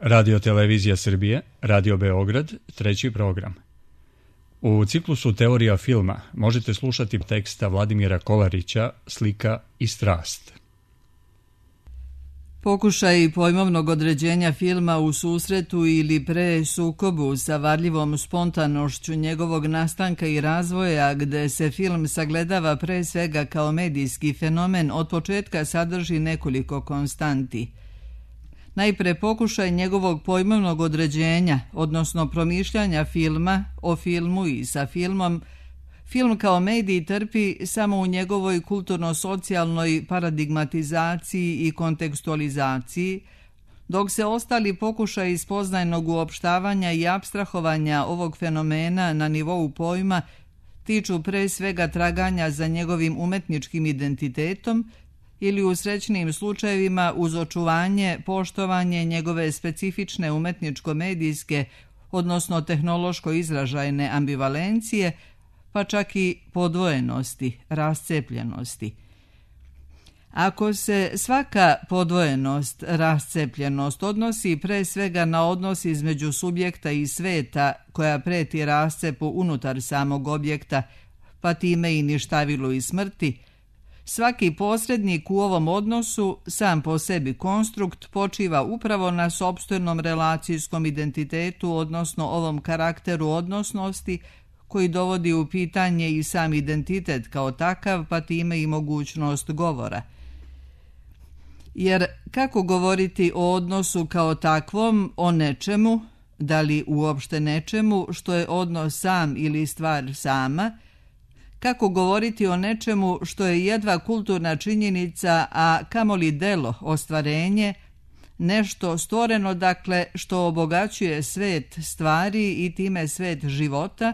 Radio Televizija Srbije, Radio Beograd, treći program. U ciklusu Teorija filma možete slušati teksta Vladimira Kolarića Slika i strast. Pokušaj pojmovnog određenja filma u susretu ili pre sukobu sa varljivom spontanošću njegovog nastanka i razvoja, gde se film sagledava pre svega kao medijski fenomen, od početka sadrži nekoliko konstanti. Najpre pokušaj njegovog pojmovnog određenja, odnosno promišljanja filma, o filmu i sa filmom. Film kao medij trpi samo u njegovoj kulturno-socijalnoj paradigmatizaciji i kontekstualizaciji, dok se ostali pokušaj spoznajnog uopštavanja i apstrahovanja ovog fenomena na nivou pojma tiču pre svega traganja za njegovim umetničkim identitetom ili u srećnim slučajevima uz očuvanje, poštovanje njegove specifične umetničko-medijske, odnosno tehnološko-izražajne ambivalencije, pa čak i podvojenosti, rascepljenosti. Ako se svaka podvojenost, rascepljenost odnosi pre svega na odnos između subjekta i sveta koja preti rascepu unutar samog objekta, pa time i ništavilu i smrti, svaki posrednik u ovom odnosu, sam po sebi konstrukt, počiva upravo na sopstvenom relacijskom identitetu, odnosno ovom karakteru odnosnosti, koji dovodi u pitanje i sam identitet kao takav, pa time i mogućnost govora. Jer kako govoriti o odnosu kao takvom, o nečemu, da li uopšte nečemu, što je odnos sam ili stvar sama, kako govoriti o nečemu što je jedva kulturna činjenica, a kamoli delo, ostvarenje, nešto stvoreno, dakle, što obogaćuje svet stvari i time svet života,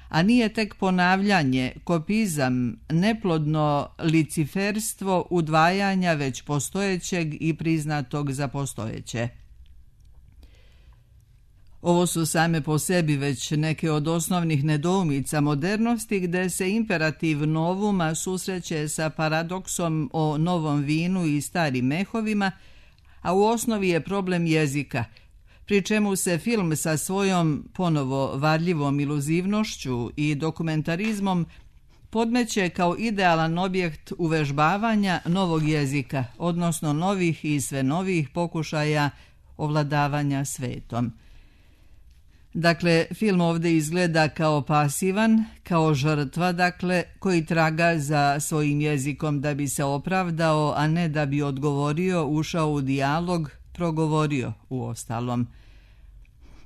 a nije tek ponavljanje, kopizam, neplodno liciferstvo udvajanja već postojećeg i priznatog za postojeće. Ovo su same po sebi već neke od osnovnih nedoumica modernosti, gde se imperativ novuma susreće sa paradoksom o novom vinu i starim mehovima, a u osnovi je problem jezika, pri čemu se film sa svojom ponovo varljivom iluzivnošću i dokumentarizmom podmeće kao idealan objekt uvežbavanja novog jezika, odnosno novih i sve novih pokušaja ovladavanja svetom. Dakle, film ovdje izgleda kao pasivan, kao žrtva, dakle, koji traga za svojim jezikom da bi se opravdao, a ne da bi odgovorio, ušao u dijalog, progovorio u ostalom.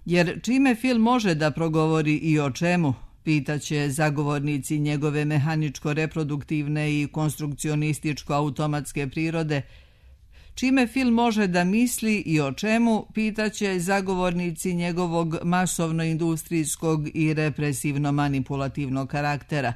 Jer čime film može da progovori i o čemu, pitaće zagovornici njegove mehaničko-reproduktivne i konstrukcionističko-automatske prirode, čime film može da misli i o čemu, pitaće zagovornici njegovog masovno-industrijskog i represivno-manipulativnog karaktera.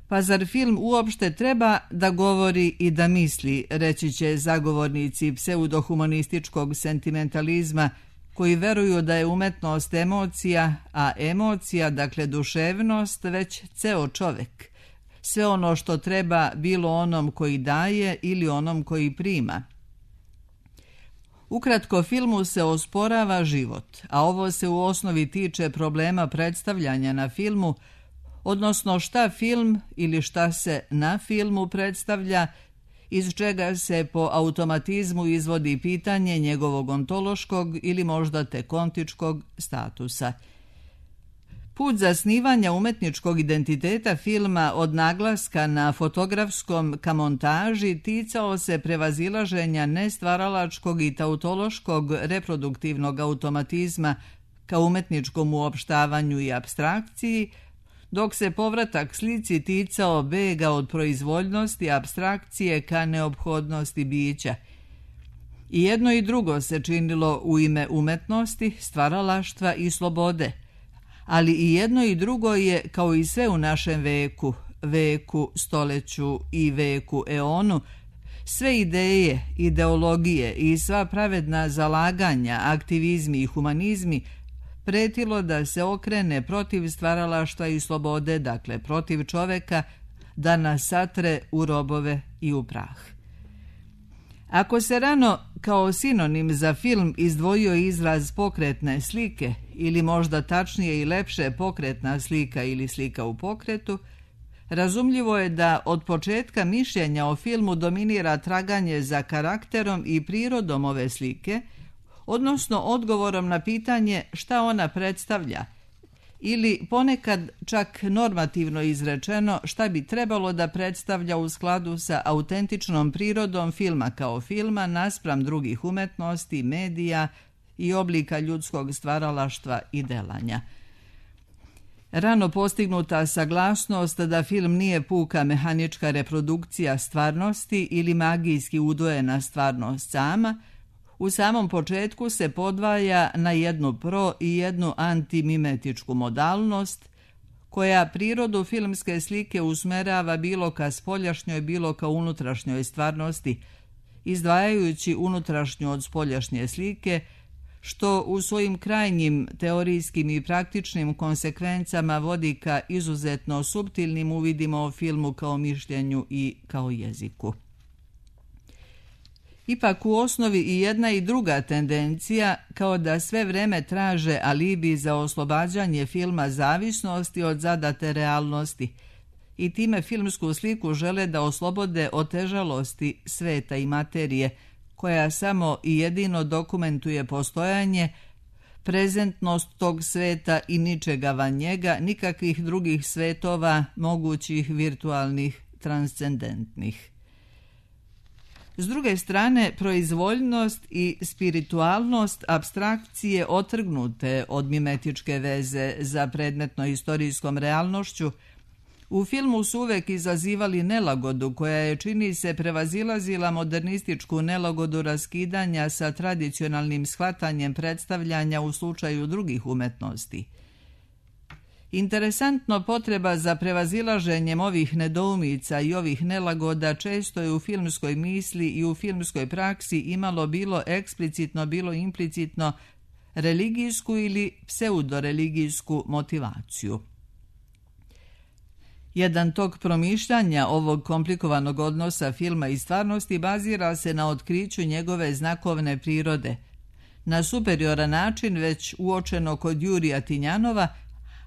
Pa zar film uopšte treba da govori i da misli, reći će zagovornici pseudohumanističkog sentimentalizma, koji veruju da je umetnost emocija, a emocija, dakle duševnost, već ceo čovek. Sve ono što treba, bilo onom koji daje ili onom koji prima. Ukratko, filmu se osporava život, a ovo se u osnovi tiče problema predstavljanja na filmu, odnosno šta film ili šta se na filmu predstavlja, iz čega se po automatizmu izvodi pitanje njegovog ontološkog ili možda tek ontičkog statusa. Put zasnivanja umetničkog identiteta filma od naglaska na fotografskom ka montaži ticao se prevazilaženja nestvaralačkog i tautološkog reproduktivnog automatizma ka umetničkom uopštavanju i apstrakciji, dok se povratak slici ticao bega od proizvoljnosti apstrakcije ka neophodnosti bića. I jedno i drugo se činilo u ime umetnosti, stvaralaštva i slobode, ali i jedno i drugo je, kao i sve u našem veku, stoleću i veku eonu, sve ideje, ideologije i sva pravedna zalaganja, aktivizmi i humanizmi pretilo da se okrene protiv stvaralaštva i slobode, dakle protiv čoveka, da nas satre u robove i u prah. Ako se rano kao sinonim za film izdvojio izraz pokretne slike ili možda tačnije i lepše pokretna slika ili slika u pokretu, razumljivo je da od početka mišljenja o filmu dominira traganje za karakterom i prirodom ove slike, odnosno odgovorom na pitanje šta ona predstavlja, ili ponekad čak normativno izrečeno šta bi trebalo da predstavlja u skladu sa autentičnom prirodom filma kao filma naspram drugih umetnosti, medija i oblika ljudskog stvaralaštva i delanja. Rano postignuta saglasnost da film nije puka mehanička reprodukcija stvarnosti ili magijski udvojena stvarnost sama, u samom početku se podvaja na jednu pro i jednu antimimetičku modalnost, koja prirodu filmske slike usmerava bilo ka spoljašnjoj, bilo ka unutrašnjoj stvarnosti, izdvajajući unutrašnju od spoljašnje slike, što u svojim krajnjim teorijskim i praktičnim konsekvencama vodi ka izuzetno suptilnim uvidima o filmu kao mišljenju i kao jeziku. Ipak u osnovi i jedna i druga tendencija kao da sve vreme traže alibi za oslobađanje filma zavisnosti od zadate realnosti i time filmsku sliku žele da oslobode otežalosti sveta i materije, koja samo i jedino dokumentuje postojanje, prezentnost tog sveta i ničega van njega, nikakvih drugih svetova, mogućih, virtualnih, transcendentnih. S druge strane, proizvoljnost i spiritualnost apstrakcije otrgnute od mimetičke veze za predmetno-istorijskom realnošću u filmu su uvek izazivali nelagodu koja je, čini se, prevazilazila modernističku nelagodu raskidanja sa tradicionalnim shvatanjem predstavljanja u slučaju drugih umetnosti. Interesantno, potreba za prevazilaženjem ovih nedoumica i ovih nelagoda često je u filmskoj misli i u filmskoj praksi imalo bilo eksplicitno, bilo implicitno religijsku ili pseudoreligijsku motivaciju. Jedan tok promišljanja ovog komplikovanog odnosa filma i stvarnosti bazira se na otkriću njegove znakovne prirode, na superioran način već uočeno kod Jurija Tinjanova,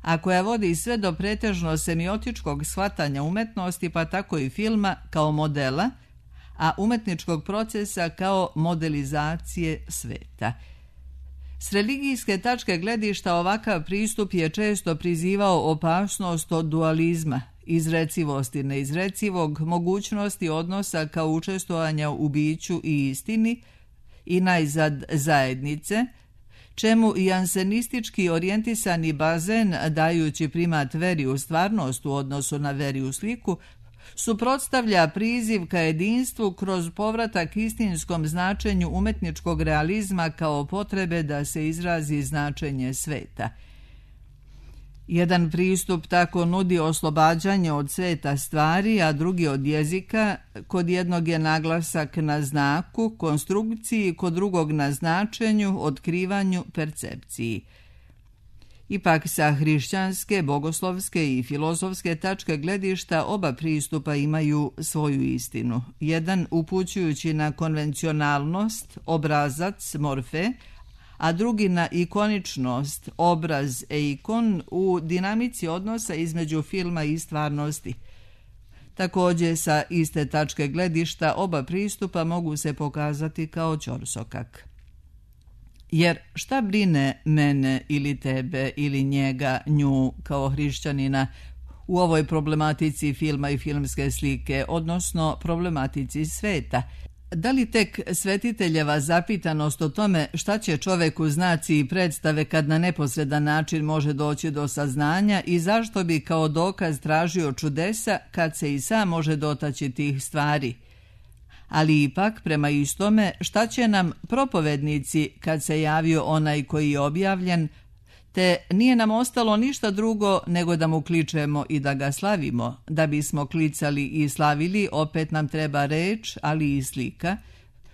a koja vodi sve do pretežno semiotičkog shvatanja umetnosti, pa tako i filma kao modela, a umetničkog procesa kao modelizacije sveta. S religijske tačke gledišta ovakav pristup je često prizivao opasnost od dualizma, izrecivosti neizrecivog, mogućnosti odnosa kao učestvovanja u biću i istini i najzad zajednice, čemu i jansenistički orijentisani bazen, dajući primat veri u stvarnost u odnosu na veri u sliku, suprotstavlja priziv ka jedinstvu kroz povratak istinskom značenju umetničkog realizma kao potrebe da se izrazi značenje sveta. Jedan pristup tako nudi oslobađanje od sveta stvari, a drugi od jezika. Kod jednog je naglasak na znaku, konstrukciji, kod drugog na značenju, otkrivanju, percepciji. Ipak sa hrišćanske, bogoslovske i filozofske tačke gledišta oba pristupa imaju svoju istinu. Jedan upućujući na konvencionalnost, obrazac, morfe, a drugi na ikoničnost, obraz, eikon u dinamici odnosa između filma i stvarnosti. Također sa iste tačke gledišta oba pristupa mogu se pokazati kao ćorsokak. Jer šta brine mene ili tebe ili njega, nju kao hrišćanina u ovoj problematici filma i filmske slike, odnosno problematici sveta? Da li tek svetiteljeva zapitanost o tome šta će čovek u znaci i predstave kad na neposredan način može doći do saznanja i zašto bi kao dokaz tražio čudesa kad se i sam može dotaći tih stvari? Ali ipak, prema istome, šta će nam propovednici kad se javio onaj koji je objavljen, te nije nam ostalo ništa drugo nego da mu kličemo i da ga slavimo. Da bismo klicali i slavili, opet nam treba reč, ali i slika,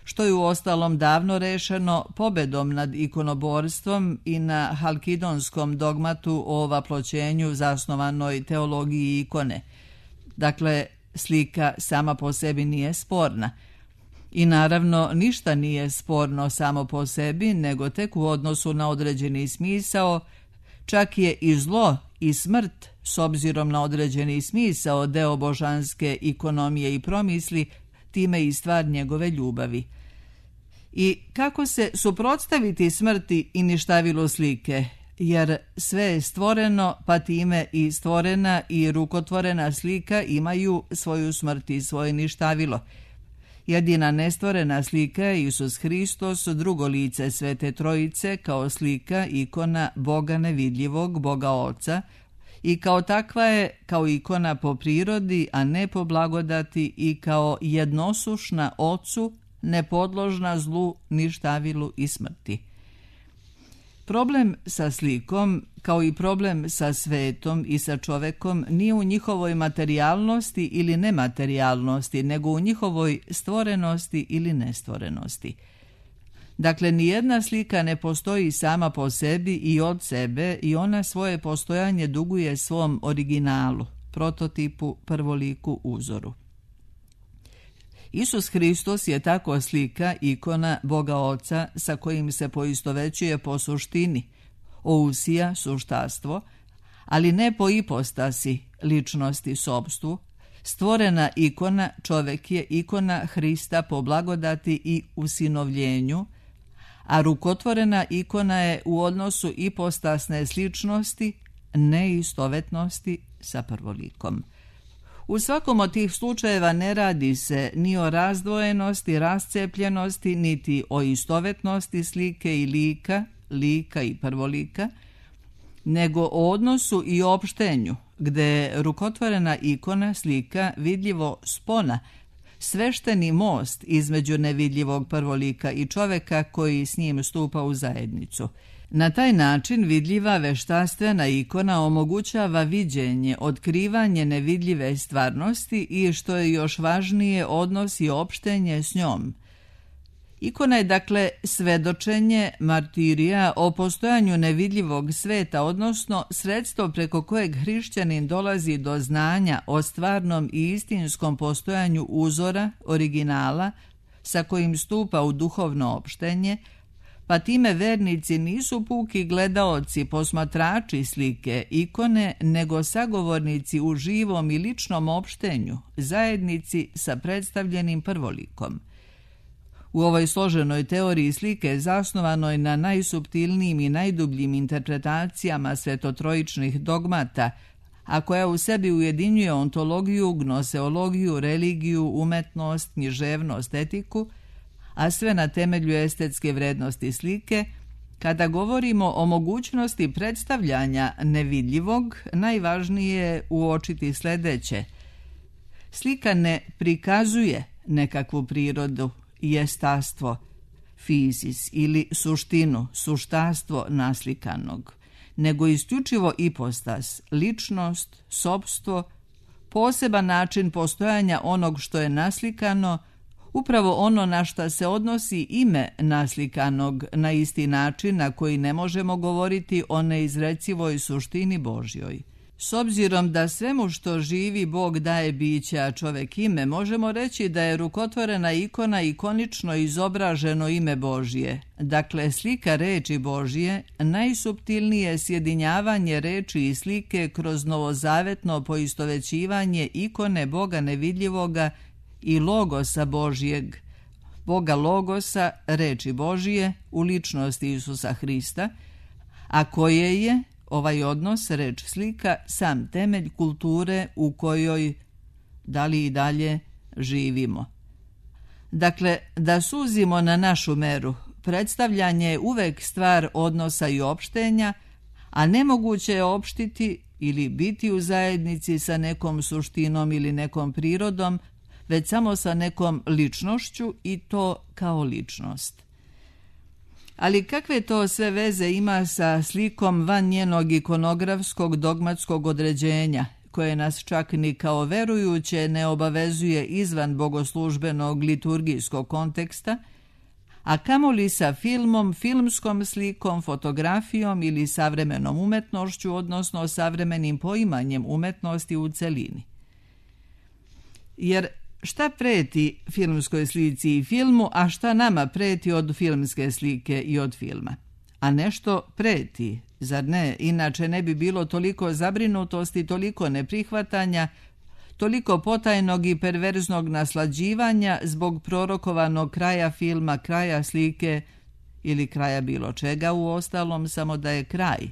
što je u ostalom davno rešeno pobedom nad ikonoborstvom i na halkidonskom dogmatu o ovaploćenju zasnovanoj teologiji ikone. Dakle, slika sama po sebi nije sporna. I naravno ništa nije sporno samo po sebi, nego tek u odnosu na određeni smisao, čak je i zlo i smrt, s obzirom na određeni smisao, deo božanske ikonomije i promisli, time i stvar njegove ljubavi. I kako se suprotstaviti smrti i ništavilu slike, jer sve je stvoreno, pa time i stvorena i rukotvorena slika imaju svoju smrt i svoje ništavilo. Jedina nestvorena slika je Isus Hristos, drugo lice Svete Trojice, kao slika, ikona Boga nevidljivog, Boga Oca, i kao takva je kao ikona po prirodi, a ne po blagodati, i kao jednosušna Ocu, nepodložna zlu, ništavilu i smrti. Problem sa slikom, kao i problem sa svetom i sa čovekom, nije u njihovoj materijalnosti ili nematerijalnosti, nego u njihovoj stvorenosti ili nestvorenosti. Dakle, nijedna slika ne postoji sama po sebi i od sebe i ona svoje postojanje duguje svom originalu, prototipu, prvoliku, uzoru. Isus Hristos je tako slika, ikona Boga Oca sa kojim se poistovećuje po suštini, ousija, suštastvo, ali ne po ipostasi, ličnosti, sobstvu. Stvorena ikona, čovek je ikona Hrista po blagodati i usinovljenju, a rukotvorena ikona je u odnosu ipostasne sličnosti, neistovetnosti sa prvolikom. U svakom od tih slučajeva ne radi se ni o razdvojenosti, rascepljenosti, niti o istovetnosti slike i lika i prvolika, nego o odnosu i opštenju, gde je rukotvorena ikona, slika, vidljivo spona, svešteni most između nevidljivog prvolika i čoveka koji s njim stupa u zajednicu. Na taj način vidljiva veštaštvena ikona omogućava viđenje, otkrivanje nevidljive stvarnosti i, što je još važnije, odnos i opštenje s njom. Ikona je dakle svedočenje, martirija o postojanju nevidljivog sveta, odnosno sredstvo preko kojeg hrišćanin dolazi do znanja o stvarnom i istinskom postojanju uzora, originala, sa kojim stupa u duhovno opštenje, pa time vernici nisu puki gledaoci, posmatrači slike, ikone, nego sagovornici u živom i ličnom opštenju, zajednici sa predstavljenim prvolikom. U ovoj složenoj teoriji slike, zasnovanoj na najsuptilnijim i najdubljim interpretacijama svetotrojičnih dogmata, a koja u sebi ujedinjuje ontologiju, gnoseologiju, religiju, umetnost, književnost, etiku, a sve na temelju estetske vrednosti slike, kada govorimo o mogućnosti predstavljanja nevidljivog, najvažnije je uočiti sledeće. Slika ne prikazuje nekakvu prirodu, jestastvo, fizis ili suštinu, suštastvo naslikanog, nego isključivo ipostas, ličnost, sopstvo, poseban način postojanja onog što je naslikano, upravo ono na šta se odnosi ime naslikanog, na isti način na koji ne možemo govoriti o neizrecivoj suštini Božjoj. S obzirom da svemu što živi Bog daje biće, a čovek ime, možemo reći da je rukotvorena ikona ikonično izobraženo ime Božje. Dakle, slika reči Božje, najsuptilnije sjedinjavanje reči i slike kroz novozavetno poistovećivanje ikone Boga nevidljivoga i logosa Božjeg, Boga logosa, reči Božije, u ličnosti Isusa Hrista, a koje je ovaj odnos, reč slika, sam temelj kulture u kojoj i dalje živimo. Dakle, da suzimo na našu meru, predstavljanje je uvek stvar odnosa i opštenja, a nemoguće je opštiti ili biti u zajednici sa nekom suštinom ili nekom prirodom, već samo sa nekom ličnošću i to kao ličnost. Ali kakve to sve veze ima sa slikom van njenog ikonografskog dogmatskog određenja, koje nas čak ni kao verujuće ne obavezuje izvan bogoslužbenog liturgijskog konteksta, a kamoli sa filmom, filmskom slikom, fotografijom ili savremenom umetnošću, odnosno savremenim poimanjem umetnosti u celini. Jer Šta preti filmskoj slici i filmu, a šta nama preti od filmske slike i od filma? A nešto preti, zar ne? Inače ne bi bilo toliko zabrinutosti, toliko neprihvatanja, toliko potajnog i perverznog naslađivanja zbog prorokovanog kraja filma, kraja slike ili kraja bilo čega, u ostalom samo da je kraj.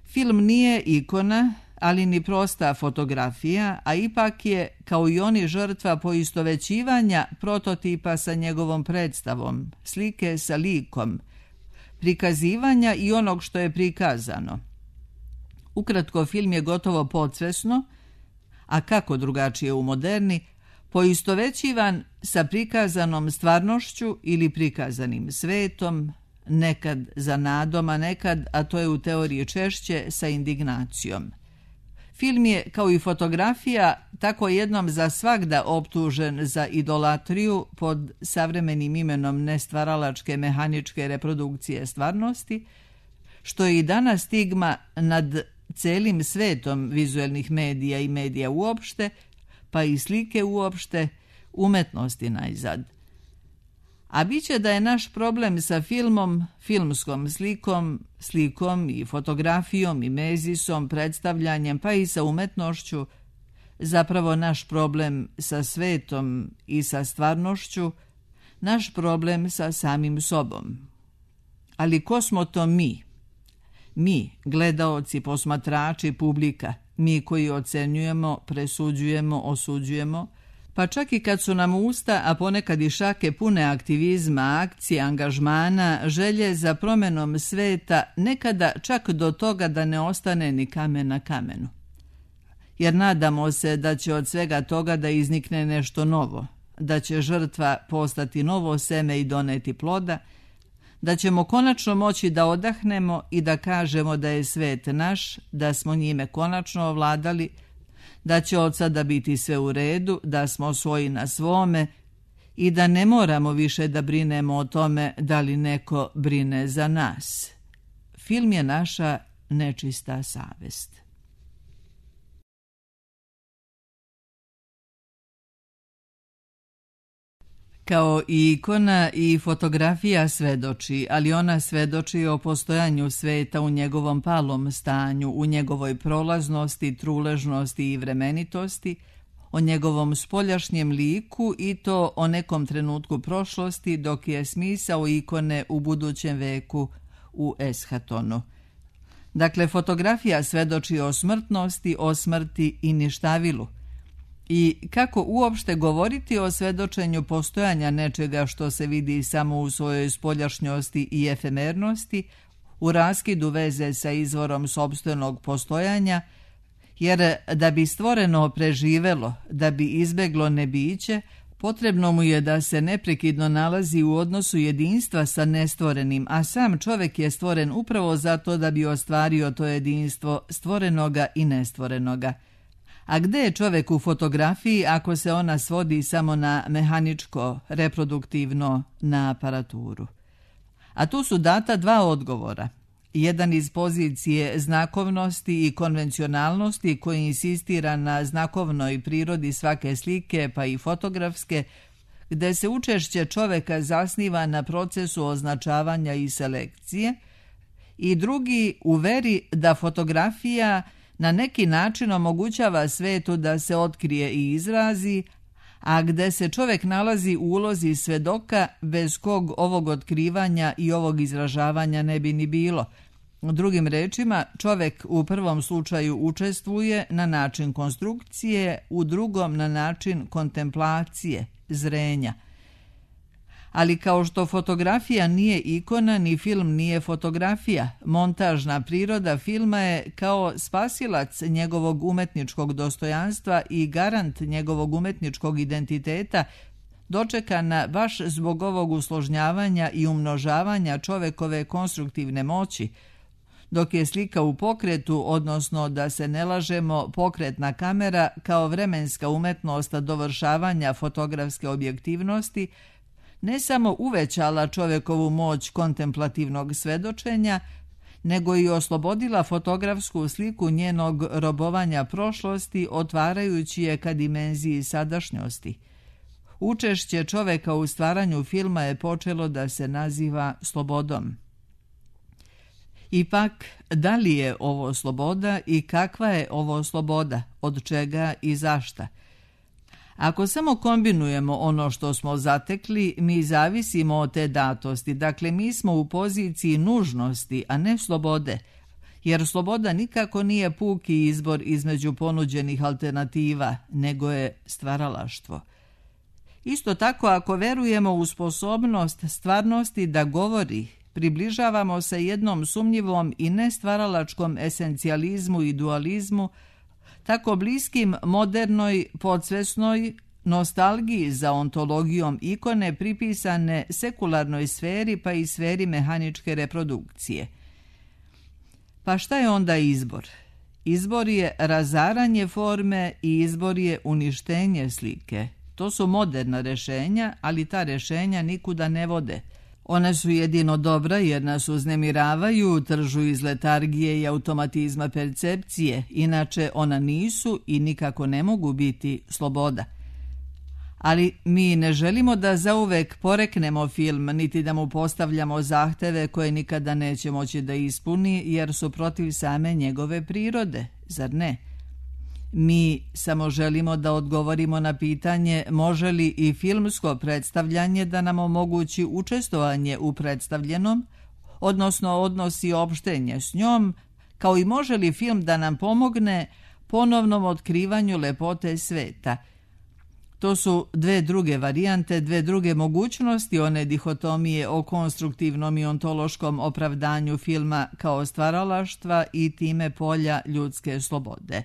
Film nije ikona, ali ni prosta fotografija, a ipak je, kao i oni, žrtva poistovećivanja prototipa sa njegovom predstavom, slike sa likom, prikazivanja i onog što je prikazano. Ukratko, film je gotovo podsvesno, a kako drugačije u moderni, poistovećivan sa prikazanom stvarnošću ili prikazanim svetom, nekad za nadom, a nekad, a to je u teoriji češće, sa indignacijom. Film je, kao i fotografija, tako jednom za svagda optužen za idolatriju pod savremenim imenom nestvaralačke mehaničke reprodukcije stvarnosti, što je i danas stigma nad celim svetom vizuelnih medija i medija uopšte, pa i slike uopšte, umetnosti najzad. A biće da je naš problem sa filmom, filmskom slikom i fotografijom i mezisom, predstavljanjem, pa i sa umetnošću, zapravo naš problem sa svetom i sa stvarnošću, naš problem sa samim sobom. Ali ko smo to mi? Mi, gledaoci, posmatrači, publika, mi koji ocenjujemo, presuđujemo, osuđujemo, pa čak i kad su nam usta, a ponekad i šake pune aktivizma, akcije, angažmana, želje za promenom sveta, nekada čak do toga da ne ostane ni kamen na kamenu. Jer nadamo se da će od svega toga da iznikne nešto novo, da će žrtva postati novo seme i doneti ploda, da ćemo konačno moći da odahnemo i da kažemo da je svet naš, da smo njime konačno ovladali, da će od sada biti sve u redu, da smo svoji na svome i da ne moramo više da brinemo o tome da li neko brine za nas. Film je naša nečista savest. Kao i ikona i fotografija svedoči, ali ona svedoči o postojanju sveta u njegovom palom stanju, u njegovoj prolaznosti, truležnosti i vremenitosti, o njegovom spoljašnjem liku i to o nekom trenutku prošlosti, dok je smisao ikone u budućem veku, u eshatonu. Dakle, fotografija svedoči o smrtnosti, o smrti i ništavilu. I kako uopšte govoriti o svedočenju postojanja nečega što se vidi samo u svojoj spoljašnjosti i efemernosti, u raskidu veze sa izvorom sopstvenog postojanja, jer da bi stvoreno preživelo, da bi izbeglo nebiće, potrebno mu je da se neprekidno nalazi u odnosu jedinstva sa nestvorenim, a sam čovjek je stvoren upravo zato da bi ostvario to jedinstvo stvorenoga i nestvorenoga. A gde je čovjek u fotografiji ako se ona svodi samo na mehaničko, reproduktivno, na aparaturu? A tu su data dva odgovora. Jedan iz pozicije znakovnosti i konvencionalnosti koji insistira na znakovnoj prirodi svake slike pa i fotografske, gde se učešće čovjeka zasniva na procesu označavanja i selekcije, i drugi u veri da fotografija na neki način omogućava svetu da se otkrije i izrazi, a gde se čovjek nalazi u ulozi svedoka bez kog ovog otkrivanja i ovog izražavanja ne bi ni bilo. Drugim rečima, čovjek u prvom slučaju učestvuje na način konstrukcije, u drugom na način kontemplacije, zrenja. Ali kao što fotografija nije ikona, ni film nije fotografija, montažna priroda filma je kao spasilac njegovog umetničkog dostojanstva i garant njegovog umetničkog identiteta, dočekana baš zbog ovog usložnjavanja i umnožavanja čovekove konstruktivne moći, dok je slika u pokretu, odnosno da se ne lažemo, pokretna kamera kao vremenska umetnost dovršavanja fotografske objektivnosti, ne samo uvećala čovjekovu moć kontemplativnog svedočenja, nego i oslobodila fotografsku sliku njenog robovanja prošlosti, otvarajući je ka dimenziji sadašnjosti. Učešće čoveka u stvaranju filma je počelo da se naziva slobodom. Ipak, da li je ovo sloboda i kakva je ovo sloboda, od čega i zašta? Ako samo kombinujemo ono što smo zatekli, mi zavisimo od te datosti, dakle mi smo u poziciji nužnosti, a ne slobode, jer sloboda nikako nije puki izbor između ponuđenih alternativa, nego je stvaralaštvo. Isto tako, ako verujemo u sposobnost stvarnosti da govori, približavamo se jednom sumnjivom i nestvaralačkom esencijalizmu i dualizmu, tako bliskim modernoj, podsvesnoj nostalgiji za ontologijom ikone pripisane sekularnoj sferi pa i sferi mehaničke reprodukcije. Pa šta je onda izbor? Izbor je razaranje forme i izbor je uništenje slike. To su moderna rešenja, ali ta rešenja nikuda ne vode. One su jedino dobra jer nas uznemiravaju, tržu iz letargije i automatizma percepcije, inače ona nisu i nikako ne mogu biti sloboda. Ali mi ne želimo da zauvek poreknemo film, niti da mu postavljamo zahteve koje nikada neće moći da ispuni, jer su protiv same njegove prirode, zar ne? Mi samo želimo da odgovorimo na pitanje može li i filmsko predstavljanje da nam omogući učestvovanje u predstavljenom, odnosno odnosi opštenje s njom, kao i može li film da nam pomogne ponovnom otkrivanju lepote sveta. To su dve druge varijante, dve druge mogućnosti one dihotomije o konstruktivnom i ontološkom opravdanju filma kao stvaralaštva i time polja ljudske slobode.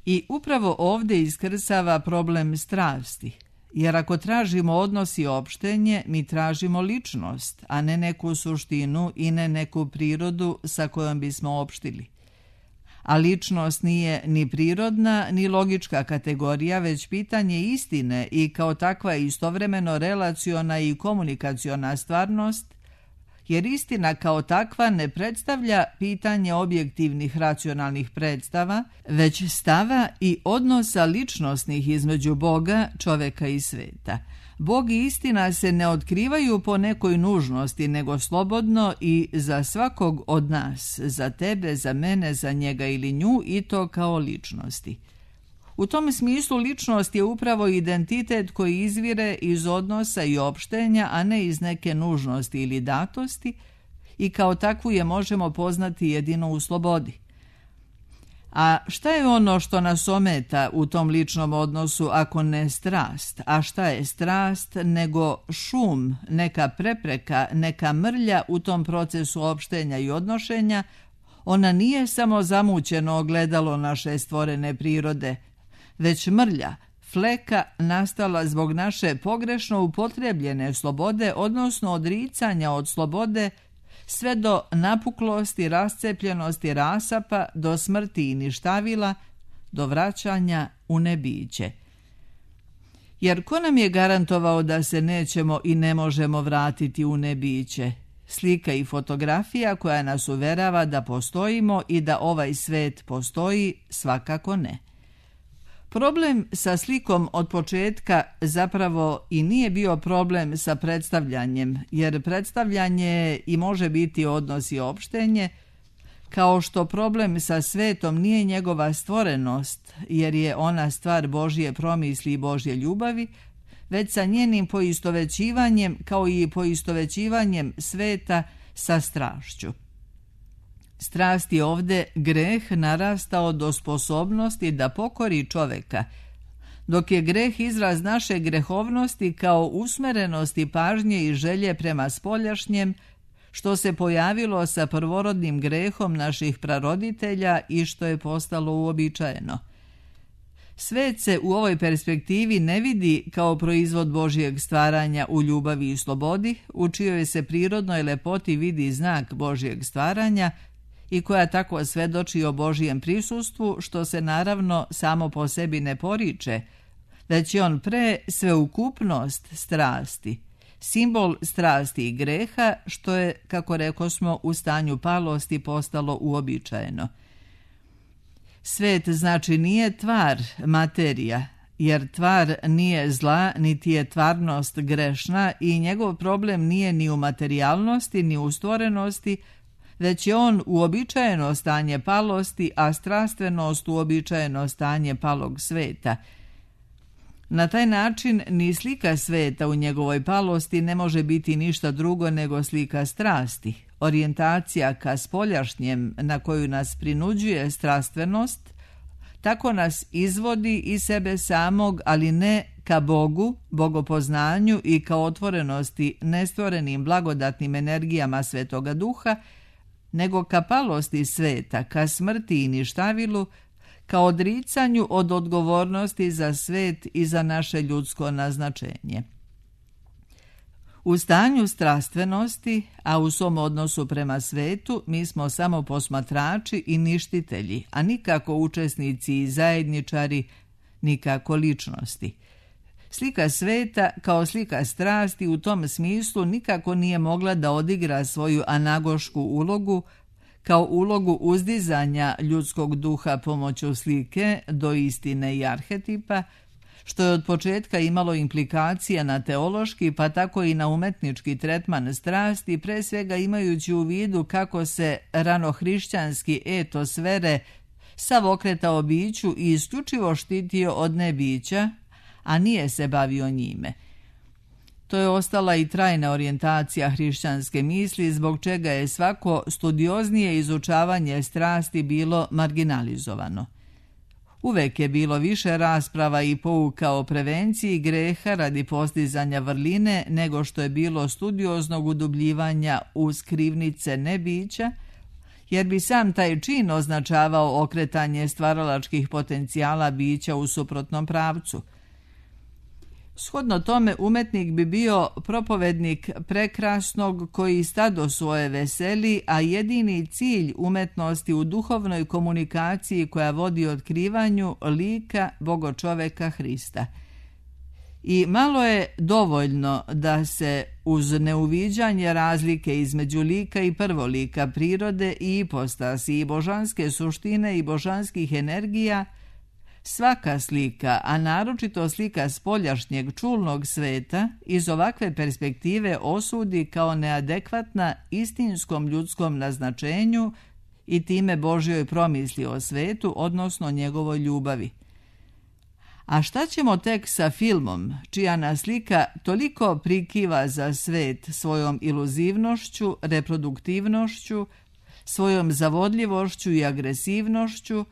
I upravo ovdje iskrsava problem strasti, jer ako tražimo odnos i opštenje, mi tražimo ličnost, a ne neku suštinu i ne neku prirodu sa kojom bismo opštili. A ličnost nije ni prirodna, ni logička kategorija, već pitanje istine i kao takva istovremeno relaciona i komunikaciona stvarnost, jer istina kao takva ne predstavlja pitanje objektivnih racionalnih predstava, već stava i odnosa ličnosnih između Boga, čoveka i sveta. Bog i istina se ne otkrivaju po nekoj nužnosti, nego slobodno i za svakog od nas, za tebe, za mene, za njega ili nju, i to kao ličnosti. U tom smislu ličnost je upravo identitet koji izvire iz odnosa i opštenja, a ne iz neke nužnosti ili datosti, i kao takvu je možemo poznati jedino u slobodi. A šta je ono što nas ometa u tom ličnom odnosu ako ne strast? A šta je strast nego šum, neka prepreka, neka mrlja u tom procesu opštenja i odnošenja? Ona nije samo zamućeno ogledalo naše stvorene prirode, već mrlja, fleka nastala zbog naše pogrešno upotrebljene slobode, odnosno odricanja od slobode, sve do napuklosti, rascepljenosti, rasapa, do smrti i ništavila, do vraćanja u nebiće. Jer ko nam je garantovao da se nećemo i ne možemo vratiti u nebiće? Slika i fotografija koja nas uverava da postojimo i da ovaj svet postoji, svakako ne. Problem sa slikom od početka zapravo i nije bio problem sa predstavljanjem, jer predstavljanje i može biti odnos i opštenje, kao što problem sa svetom nije njegova stvorenost, jer je ona stvar Božje promisli i Božje ljubavi, već sa njenim poistovećivanjem, kao i poistovećivanjem sveta sa strašću. Strast je ovdje greh narastao do sposobnosti da pokori čoveka, dok je greh izraz naše grehovnosti kao usmerenosti pažnje i želje prema spoljašnjem, što se pojavilo sa prvorodnim grehom naših praroditelja i što je postalo uobičajeno. Svet se u ovoj perspektivi ne vidi kao proizvod Božjeg stvaranja u ljubavi i slobodi, u čijoj se prirodnoj lepoti vidi znak Božjeg stvaranja i koja tako svedoči o Božjem prisustvu, što se naravno samo po sebi ne poriče, već je on pre sveukupnost strasti, simbol strasti i greha, što je, kako rekosmo, u stanju palosti postalo uobičajeno. Svet znači nije tvar, materija, jer tvar nije zla, niti je tvarnost grešna i njegov problem nije ni u materijalnosti, ni u stvorenosti, već je on uobičajeno stanje palosti, a strastvenost uobičajeno stanje palog sveta. Na taj način ni slika sveta u njegovoj palosti ne može biti ništa drugo nego slika strasti, orijentacija ka spoljašnjem na koju nas prinuđuje strastvenost, tako nas izvodi iz sebe samog, ali ne ka Bogu, bogopoznanju i ka otvorenosti nestvorenim blagodatnim energijama Svetoga Duha, nego ka palosti sveta, ka smrti i ništavilu, ka odricanju od odgovornosti za svet i za naše ljudsko naznačenje. U stanju strastvenosti, a u svom odnosu prema svetu, mi smo samo posmatrači i ništitelji, a nikako učesnici i zajedničari, nikako ličnosti. Slika sveta kao slika strasti u tom smislu nikako nije mogla da odigra svoju anagošku ulogu, kao ulogu uzdizanja ljudskog duha pomoću slike do istine i arhetipa, što je od početka imalo implikacija na teološki pa tako i na umetnički tretman strasti, pre svega imajući u vidu kako se ranohrišćanski etos vere sav okretao biću i isključivo štitio od nebića, a nije se bavio njime. To je ostala i trajna orijentacija hrišćanske misli, zbog čega je svako studioznije izučavanje strasti bilo marginalizovano. Uvek je bilo više rasprava i pouka o prevenciji greha radi postizanja vrline nego što je bilo studioznog udubljivanja u skrivnice nebića, jer bi sam taj čin označavao okretanje stvaralačkih potencijala bića u suprotnom pravcu. Shodno tome, umetnik bi bio propovednik prekrasnog koji stado svoje veseli, a jedini cilj umetnosti u duhovnoj komunikaciji koja vodi otkrivanju lika Bogočoveka Hrista. I malo je dovoljno da se uz neuviđanje razlike između lika i prvolika prirode i ipostasi i božanske suštine i božanskih energija, svaka slika, a naročito slika spoljašnjeg čulnog sveta, iz ovakve perspektive osudi kao neadekvatna istinskom ljudskom naznačenju i time Božjoj promisli o svetu, odnosno njegovoj ljubavi. A šta ćemo tek sa filmom, čija nas slika toliko prikiva za svet svojom iluzivnošću, reproduktivnošću, svojom zavodljivošću i agresivnošću,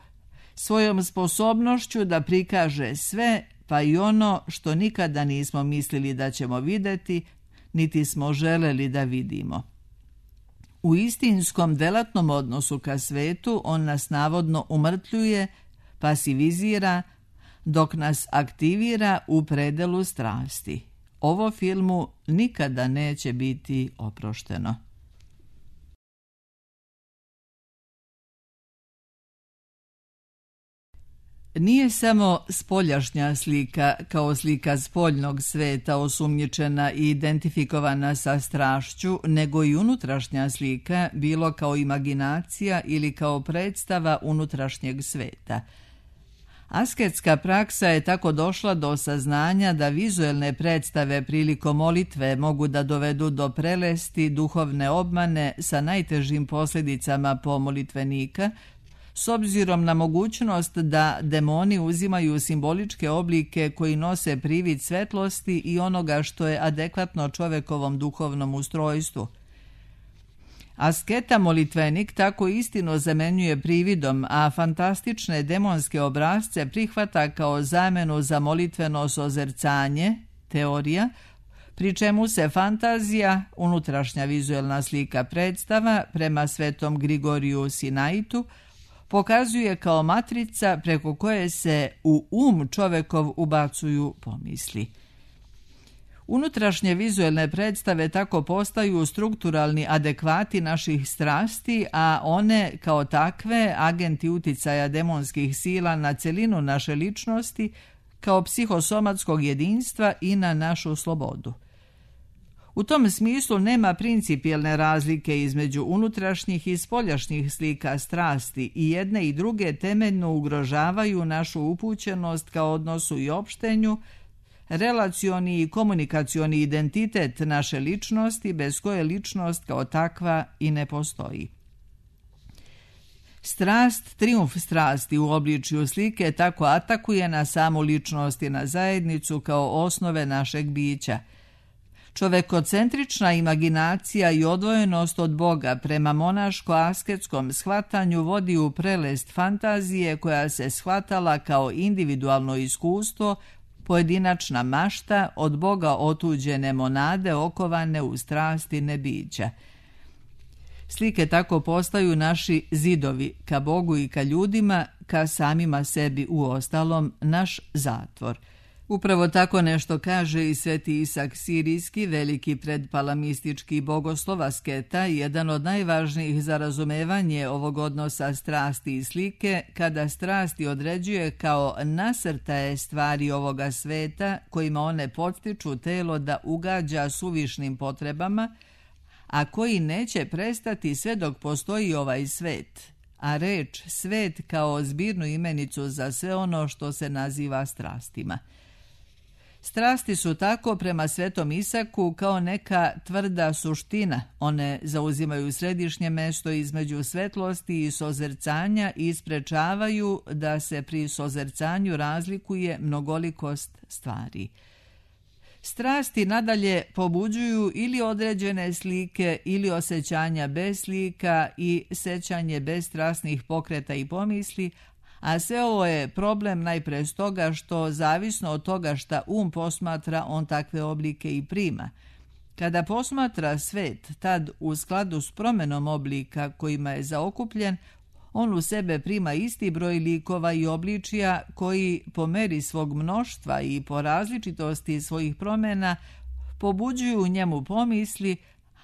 svojom sposobnošću da prikaže sve, pa i ono što nikada nismo mislili da ćemo vidjeti, niti smo želeli da vidimo. U istinskom delatnom odnosu ka svetu on nas navodno umrtljuje, pasivizira, dok nas aktivira u predelu strasti. Ovo filmu nikada neće biti oprošteno. Nije samo spoljašnja slika kao slika spoljnog sveta osumnjičena i identifikovana sa strašću, nego i unutrašnja slika, bilo kao imaginacija ili kao predstava unutrašnjeg sveta. Asketska praksa je tako došla do saznanja da vizuelne predstave prilikom molitve mogu da dovedu do prelesti, duhovne obmane sa najtežim posljedicama po molitvenika, s obzirom na mogućnost da demoni uzimaju simboličke oblike koji nose privid svetlosti i onoga što je adekvatno čovekovom duhovnom ustrojstvu. Asketa molitvenik tako istino zamenjuje prividom, a fantastične demonske obrazce prihvata kao zamenu za molitveno sozercanje, teorija, pri čemu se fantazija, unutrašnja vizuelna slika predstava, prema svetom Grigoriju Sinaitu, pokazuje kao matrica preko koje se u čovekov ubacuju pomisli. Unutrašnje vizuelne predstave tako postaju strukturalni adekvati naših strasti, a one kao takve agenti uticaja demonskih sila na celinu naše ličnosti kao psihosomatskog jedinstva i na našu slobodu. U tom smislu nema principijelne razlike između unutrašnjih i spoljašnjih slika strasti i jedne i druge temeljno ugrožavaju našu upućenost kao odnosu i opštenju, relacioni i komunikacioni identitet naše ličnosti bez koje ličnost kao takva i ne postoji. Strast, trijumf strasti u obličju slike tako atakuje na samu ličnost i na zajednicu kao osnove našeg bića. Čovekocentrična imaginacija i odvojenost od Boga prema monaško-asketskom shvatanju vodi u prelest fantazije koja se shvatala kao individualno iskustvo, pojedinačna mašta od Boga otuđene monade okovane u strasti nebića. Slike tako postaju naši zidovi ka Bogu i ka ljudima, ka samima sebi uostalom, naš zatvor. Upravo tako nešto kaže i Sveti Isak Sirijski, veliki predpalamistički bogoslov asketa, jedan od najvažnijih za razumevanje ovog odnosa strasti i slike, kada strasti određuje kao nasrtaje stvari ovoga sveta kojima one podstiču telo da ugađa suvišnim potrebama, a koji neće prestati sve dok postoji ovaj svet, a reč svet kao zbirnu imenicu za sve ono što se naziva strastima. Strasti su tako prema Svetom Isaku kao neka tvrda suština. One zauzimaju središnje mesto između svetlosti i sozercanja i sprečavaju da se pri sozercanju razlikuje mnogolikost stvari. Strasti nadalje pobuđuju ili određene slike ili osjećanja bez slika i sećanje bez strasnih pokreta i pomisli, a sve ovo je problem najpre stoga što, zavisno od toga šta posmatra, on takve oblike i prima. Kada posmatra svet, tad u skladu s promenom oblika kojima je zaokupljen, on u sebe prima isti broj likova i obličija koji po meri svog mnoštva i po različitosti svojih promjena pobuđuju u njemu pomisli,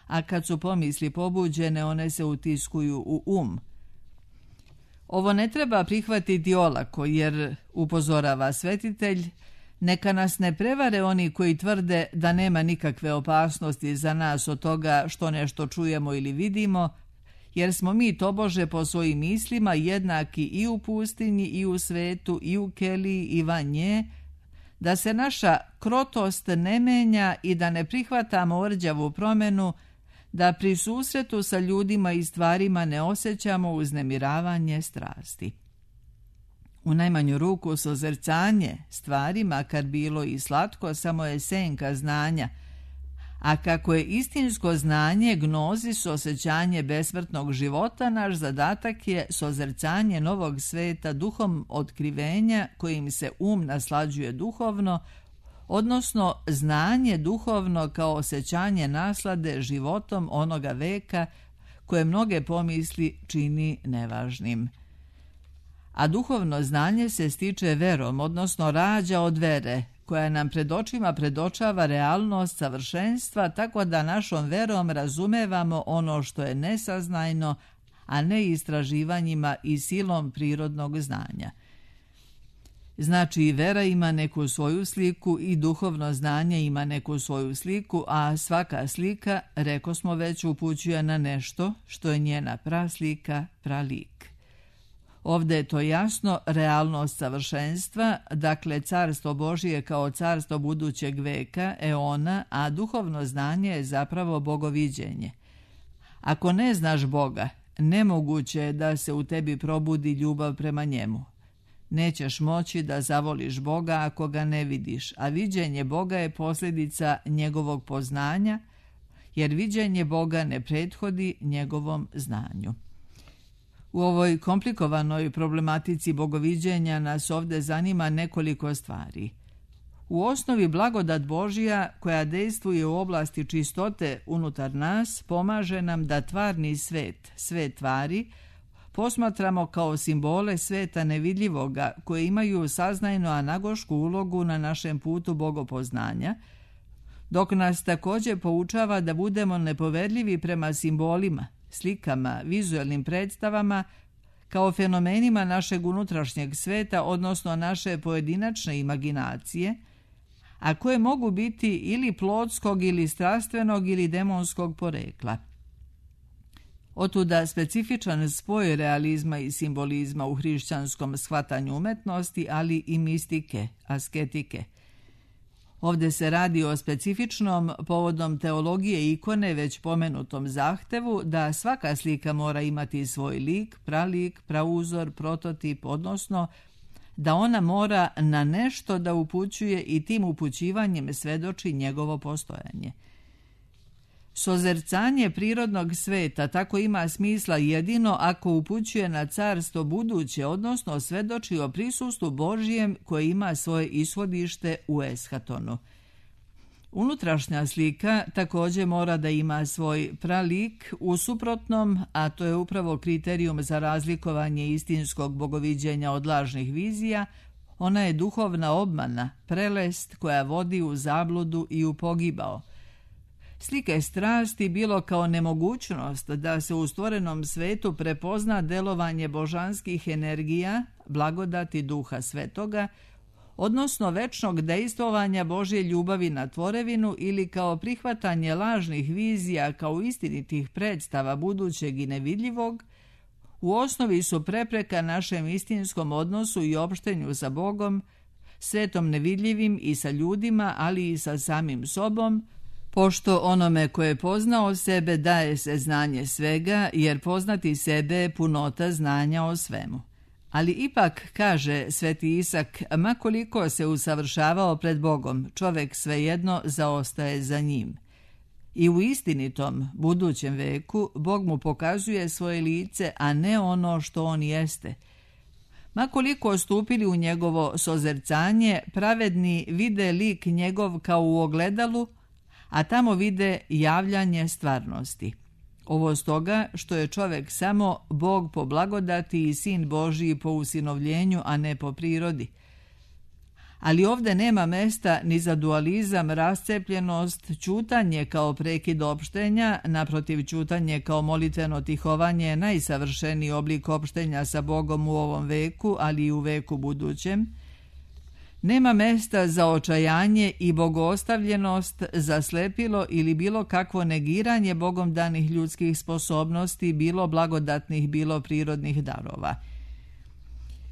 a kad su pomisli pobuđene, one se utiskuju u Ovo ne treba prihvatiti olako, jer, upozorava svetitelj, neka nas ne prevare oni koji tvrde da nema nikakve opasnosti za nas od toga što nešto čujemo ili vidimo, jer smo mi tobože po svojim mislima jednaki i u pustinji i u svetu i u keliji i van nje, da se naša krotost ne menja i da ne prihvatamo orđavu promjenu, da pri susretu sa ljudima i stvarima ne osjećamo uznemiravanje strasti. U najmanju ruku sozercanje stvari, makar bilo i slatko, samo je senka znanja, a kako je istinsko znanje gnozis osjećanje besmrtnog života, naš zadatak je sozercanje novog sveta duhom otkrivenja kojim se naslađuje duhovno, odnosno znanje duhovno kao osjećanje naslade životom onoga veka koje mnoge pomisli čini nevažnim. A duhovno znanje se stiče verom, odnosno rađa od vere, koja nam pred očima predočava realnost savršenstva, tako da našom verom razumevamo ono što je nesaznajno, a ne istraživanjima i silom prirodnog znanja. Znači i vera ima neku svoju sliku i duhovno znanje ima neku svoju sliku, a svaka slika, rekosmo već, upućuje na nešto što je njena praslika, pralik. Ovdje je to jasno realnost savršenstva, dakle carstvo Božije kao carstvo budućeg veka, eona, a duhovno znanje je zapravo bogoviđenje. Ako ne znaš Boga, nemoguće je da se u tebi probudi ljubav prema njemu. Nećeš moći da zavoliš Boga ako ga ne vidiš, a viđenje Boga je posljedica njegovog poznanja, jer viđenje Boga ne prethodi njegovom znanju. U ovoj komplikovanoj problematici bogoviđenja nas ovdje zanima nekoliko stvari. U osnovi blagodat Božja, koja dejstvuje u oblasti čistote unutar nas, pomaže nam da tvarni svet, svet tvari, posmatramo kao simbole sveta nevidljivoga koje imaju saznajno anagošku ulogu na našem putu bogopoznanja, dok nas također poučava da budemo nepovedljivi prema simbolima, slikama, vizualnim predstavama, kao fenomenima našeg unutrašnjeg sveta, odnosno naše pojedinačne imaginacije, a koje mogu biti ili plotskog ili strastvenog ili demonskog porekla. Otuda specifičan spoj realizma i simbolizma u hrišćanskom shvatanju umetnosti, ali i mistike, asketike. Ovdje se radi o specifičnom, povodom teologije ikone, već pomenutom zahtevu da svaka slika mora imati svoj lik, pralik, prauzor, prototip, odnosno da ona mora na nešto da upućuje i tim upućivanjem svedoči njegovo postojanje. Sozercanje prirodnog sveta tako ima smisla jedino ako upućuje na carstvo buduće, odnosno svedoči o prisustvu Božijem koje ima svoje ishodište u eshatonu. Unutrašnja slika također mora da ima svoj pralik, u suprotnom, a to je upravo kriterijum za razlikovanje istinskog bogoviđenja od lažnih vizija, ona je duhovna obmana, prelest koja vodi u zabludu i u pogibao. Slike strasti bilo kao nemogućnost da se u stvorenom svetu prepozna delovanje božanskih energija, blagodati Duha Svetoga, odnosno večnog dejstvovanja Božje ljubavi na tvorevinu ili kao prihvatanje lažnih vizija kao istinitih predstava budućeg i nevidljivog, u osnovi su prepreka našem istinskom odnosu i opštenju sa Bogom, svetom nevidljivim i sa ljudima, ali i sa samim sobom, pošto onome ko je poznao sebe daje se znanje svega, jer poznati sebe je punota znanja o svemu. Ali ipak, kaže Sveti Isak, makoliko se usavršavao pred Bogom, čovek svejedno zaostaje za njim. I u istinitom, budućem veku, Bog mu pokazuje svoje lice, a ne ono što on jeste. Makoliko stupili u njegovo sozercanje, pravedni vide lik njegov kao u ogledalu, a tamo vide javljanje stvarnosti. Ovo stoga što je čovek samo Bog po blagodati i sin Božiji po usinovljenju, a ne po prirodi. Ali ovdje nema mesta ni za dualizam, rascepljenost, ćutanje kao prekid opštenja, naprotiv ćutanje kao molitveno tihovanje, najsavršeniji oblik opštenja sa Bogom u ovom veku, ali i u veku budućem. Nema mesta za očajanje i bogoostavljenost, za slepilo ili bilo kakvo negiranje Bogom danih ljudskih sposobnosti, bilo blagodatnih, bilo prirodnih darova.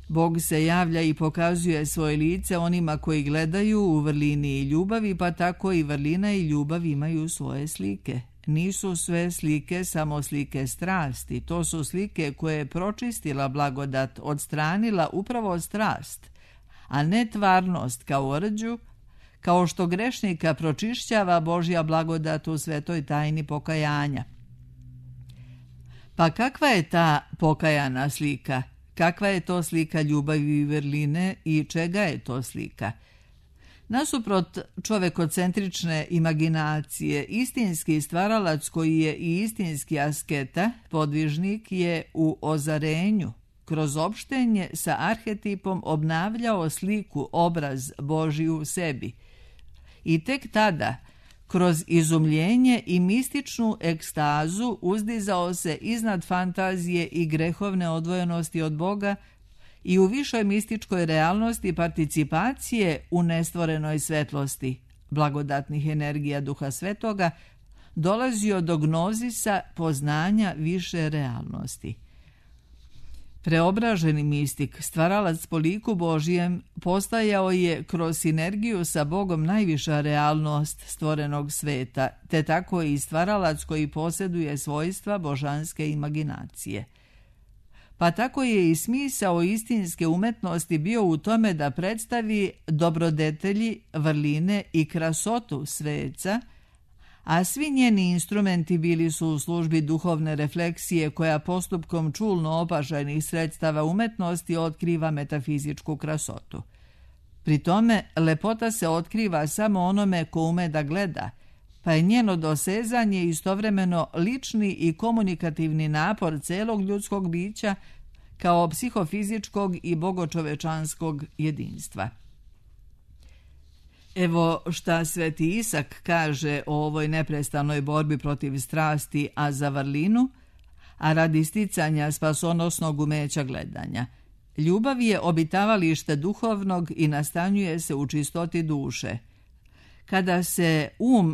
Bog se javlja i pokazuje svoje lice onima koji gledaju u vrlini i ljubavi, pa tako i vrlina i ljubav imaju svoje slike. Nisu sve slike samo slike strasti, to su slike koje je pročistila blagodat, odstranila upravo strast, a ne tvarnost kao rđu, kao što grešnika pročišćava Božja blagodat u svetoj tajni pokajanja. Pa kakva je ta pokajana slika? Kakva je to slika ljubavi i vrline i čega je to slika? Nasuprot čovekocentrične imaginacije, istinski stvaralac koji je i istinski asketa, podvižnik, je u ozarenju, kroz opštenje sa arhetipom obnavljao sliku, obraz Božji u sebi. I tek tada, kroz izumljenje i mističnu ekstazu, uzdizao se iznad fantazije i grehovne odvojenosti od Boga i u višoj mističkoj realnosti participacije u nestvorenoj svetlosti, blagodatnih energija Duha Svetoga, dolazio do gnozisa poznanja više realnosti. Preobraženi mistik, stvaralac po liku Božijem, postajao je kroz sinergiju sa Bogom najviša realnost stvorenog sveta, te tako i stvaralac koji posjeduje svojstva božanske imaginacije. Pa tako je i smisao istinske umetnosti bio u tome da predstavi dobrodetelji, vrline i krasotu sveca, a svi njeni instrumenti bili su u službi duhovne refleksije koja postupkom čulno opažajnih sredstava umetnosti otkriva metafizičku krasotu. Pri tome, lepota se otkriva samo onome ko ume da gleda, pa je njeno dosezanje istovremeno lični i komunikativni napor celog ljudskog bića kao psihofizičkog i bogočovečanskog jedinstva. Evo šta Sveti Isak kaže o ovoj neprestanoj borbi protiv strasti, a za vrlinu, a radi sticanja spasonosnog umeća gledanja. Ljubav je obitavalište duhovnog i nastanjuje se u čistoti duše. Kada se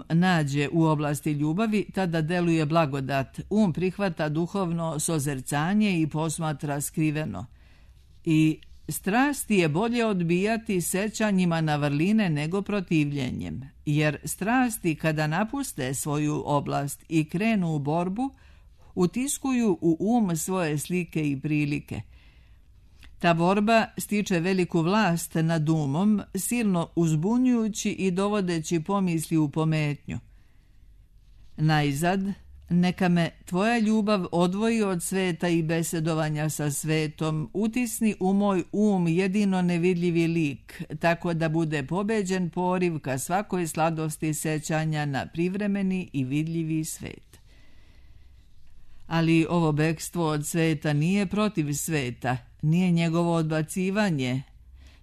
nađe u oblasti ljubavi, tada deluje blagodat. Prihvata duhovno sozercanje i posmatra skriveno. I strasti je bolje odbijati sećanjima na vrline nego protivljenjem, jer strasti kada napuste svoju oblast i krenu u borbu, utiskuju u svoje slike i prilike. Ta borba stiče veliku vlast nad silno uzbunjujući i dovodeći pomisli u pometnju. Najzad, neka me tvoja ljubav odvoji od sveta i besedovanja sa svetom, utisni u moj jedino nevidljivi lik, tako da bude pobeđen poriv ka svakoj sladosti sećanja na privremeni i vidljivi svet. Ali ovo bekstvo od sveta nije protiv sveta, nije njegovo odbacivanje,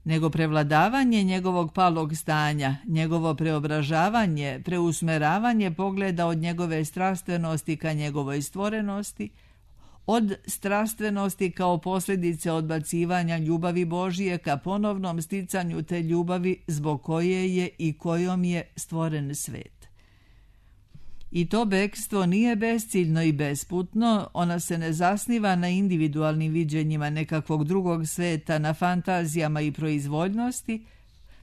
nego prevladavanje njegovog palog stanja, njegovo preobražavanje, preusmeravanje pogleda od njegove strastvenosti ka njegovoj stvorenosti, od strastvenosti kao posljedice odbacivanja ljubavi Božije ka ponovnom sticanju te ljubavi zbog koje je i kojom je stvoren svet. I to bekstvo nije besciljno i besputno, ona se ne zasniva na individualnim viđenjima nekakvog drugog sveta, na fantazijama i proizvoljnosti,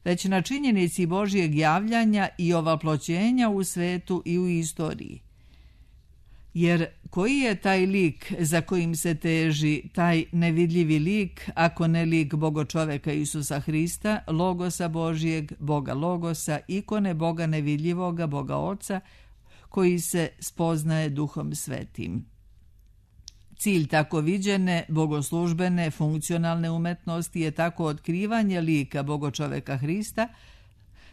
već na činjenici Božjeg javljanja i ovaploćenja u svetu i u istoriji. Jer koji je taj lik za kojim se teži, taj nevidljivi lik, ako ne lik Bogočoveka Isusa Hrista, Logosa Božjeg, Boga Logosa, ikone Boga nevidljivoga, Boga Oca, koji se spoznaje Duhom Svetim. Cilj tako viđene, bogoslužbene, funkcionalne umetnosti je tako otkrivanje lika Bogočoveka Hrista,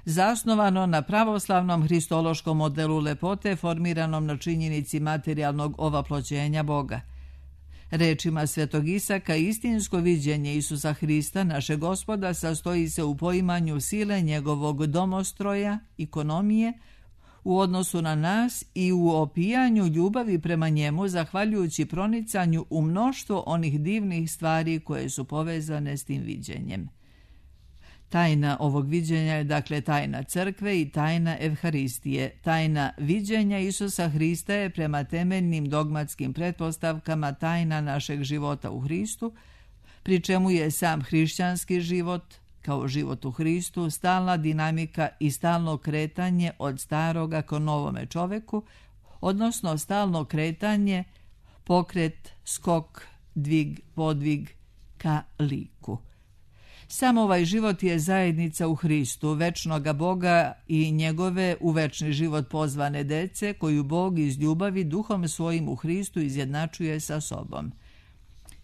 zasnovano na pravoslavnom hristološkom modelu lepote formiranom na činjenici materijalnog ovaploćenja Boga. Rečima Svetog Isaka, istinsko viđenje Isusa Hrista, našeg Gospoda, sastoji se u poimanju sile njegovog domostroja, ekonomije, u odnosu na nas i u opijanju ljubavi prema njemu, zahvaljujući pronicanju u mnoštvo onih divnih stvari koje su povezane s tim viđenjem. Tajna ovog viđenja je dakle tajna crkve i tajna Evharistije. Tajna viđenja Isusa Hrista je prema temeljnim dogmatskim pretpostavkama tajna našeg života u Hristu, pri čemu je sam hrišćanski život, kao život u Hristu, stalna dinamika i stalno kretanje od staroga ka novome čoveku, odnosno stalno kretanje, pokret, skok, dvig, podvig ka liku. Sam ovaj život je zajednica u Hristu, večnoga Boga i njegove u večni život pozvane dece, koju Bog iz ljubavi duhom svojim u Hristu izjednačuje sa sobom.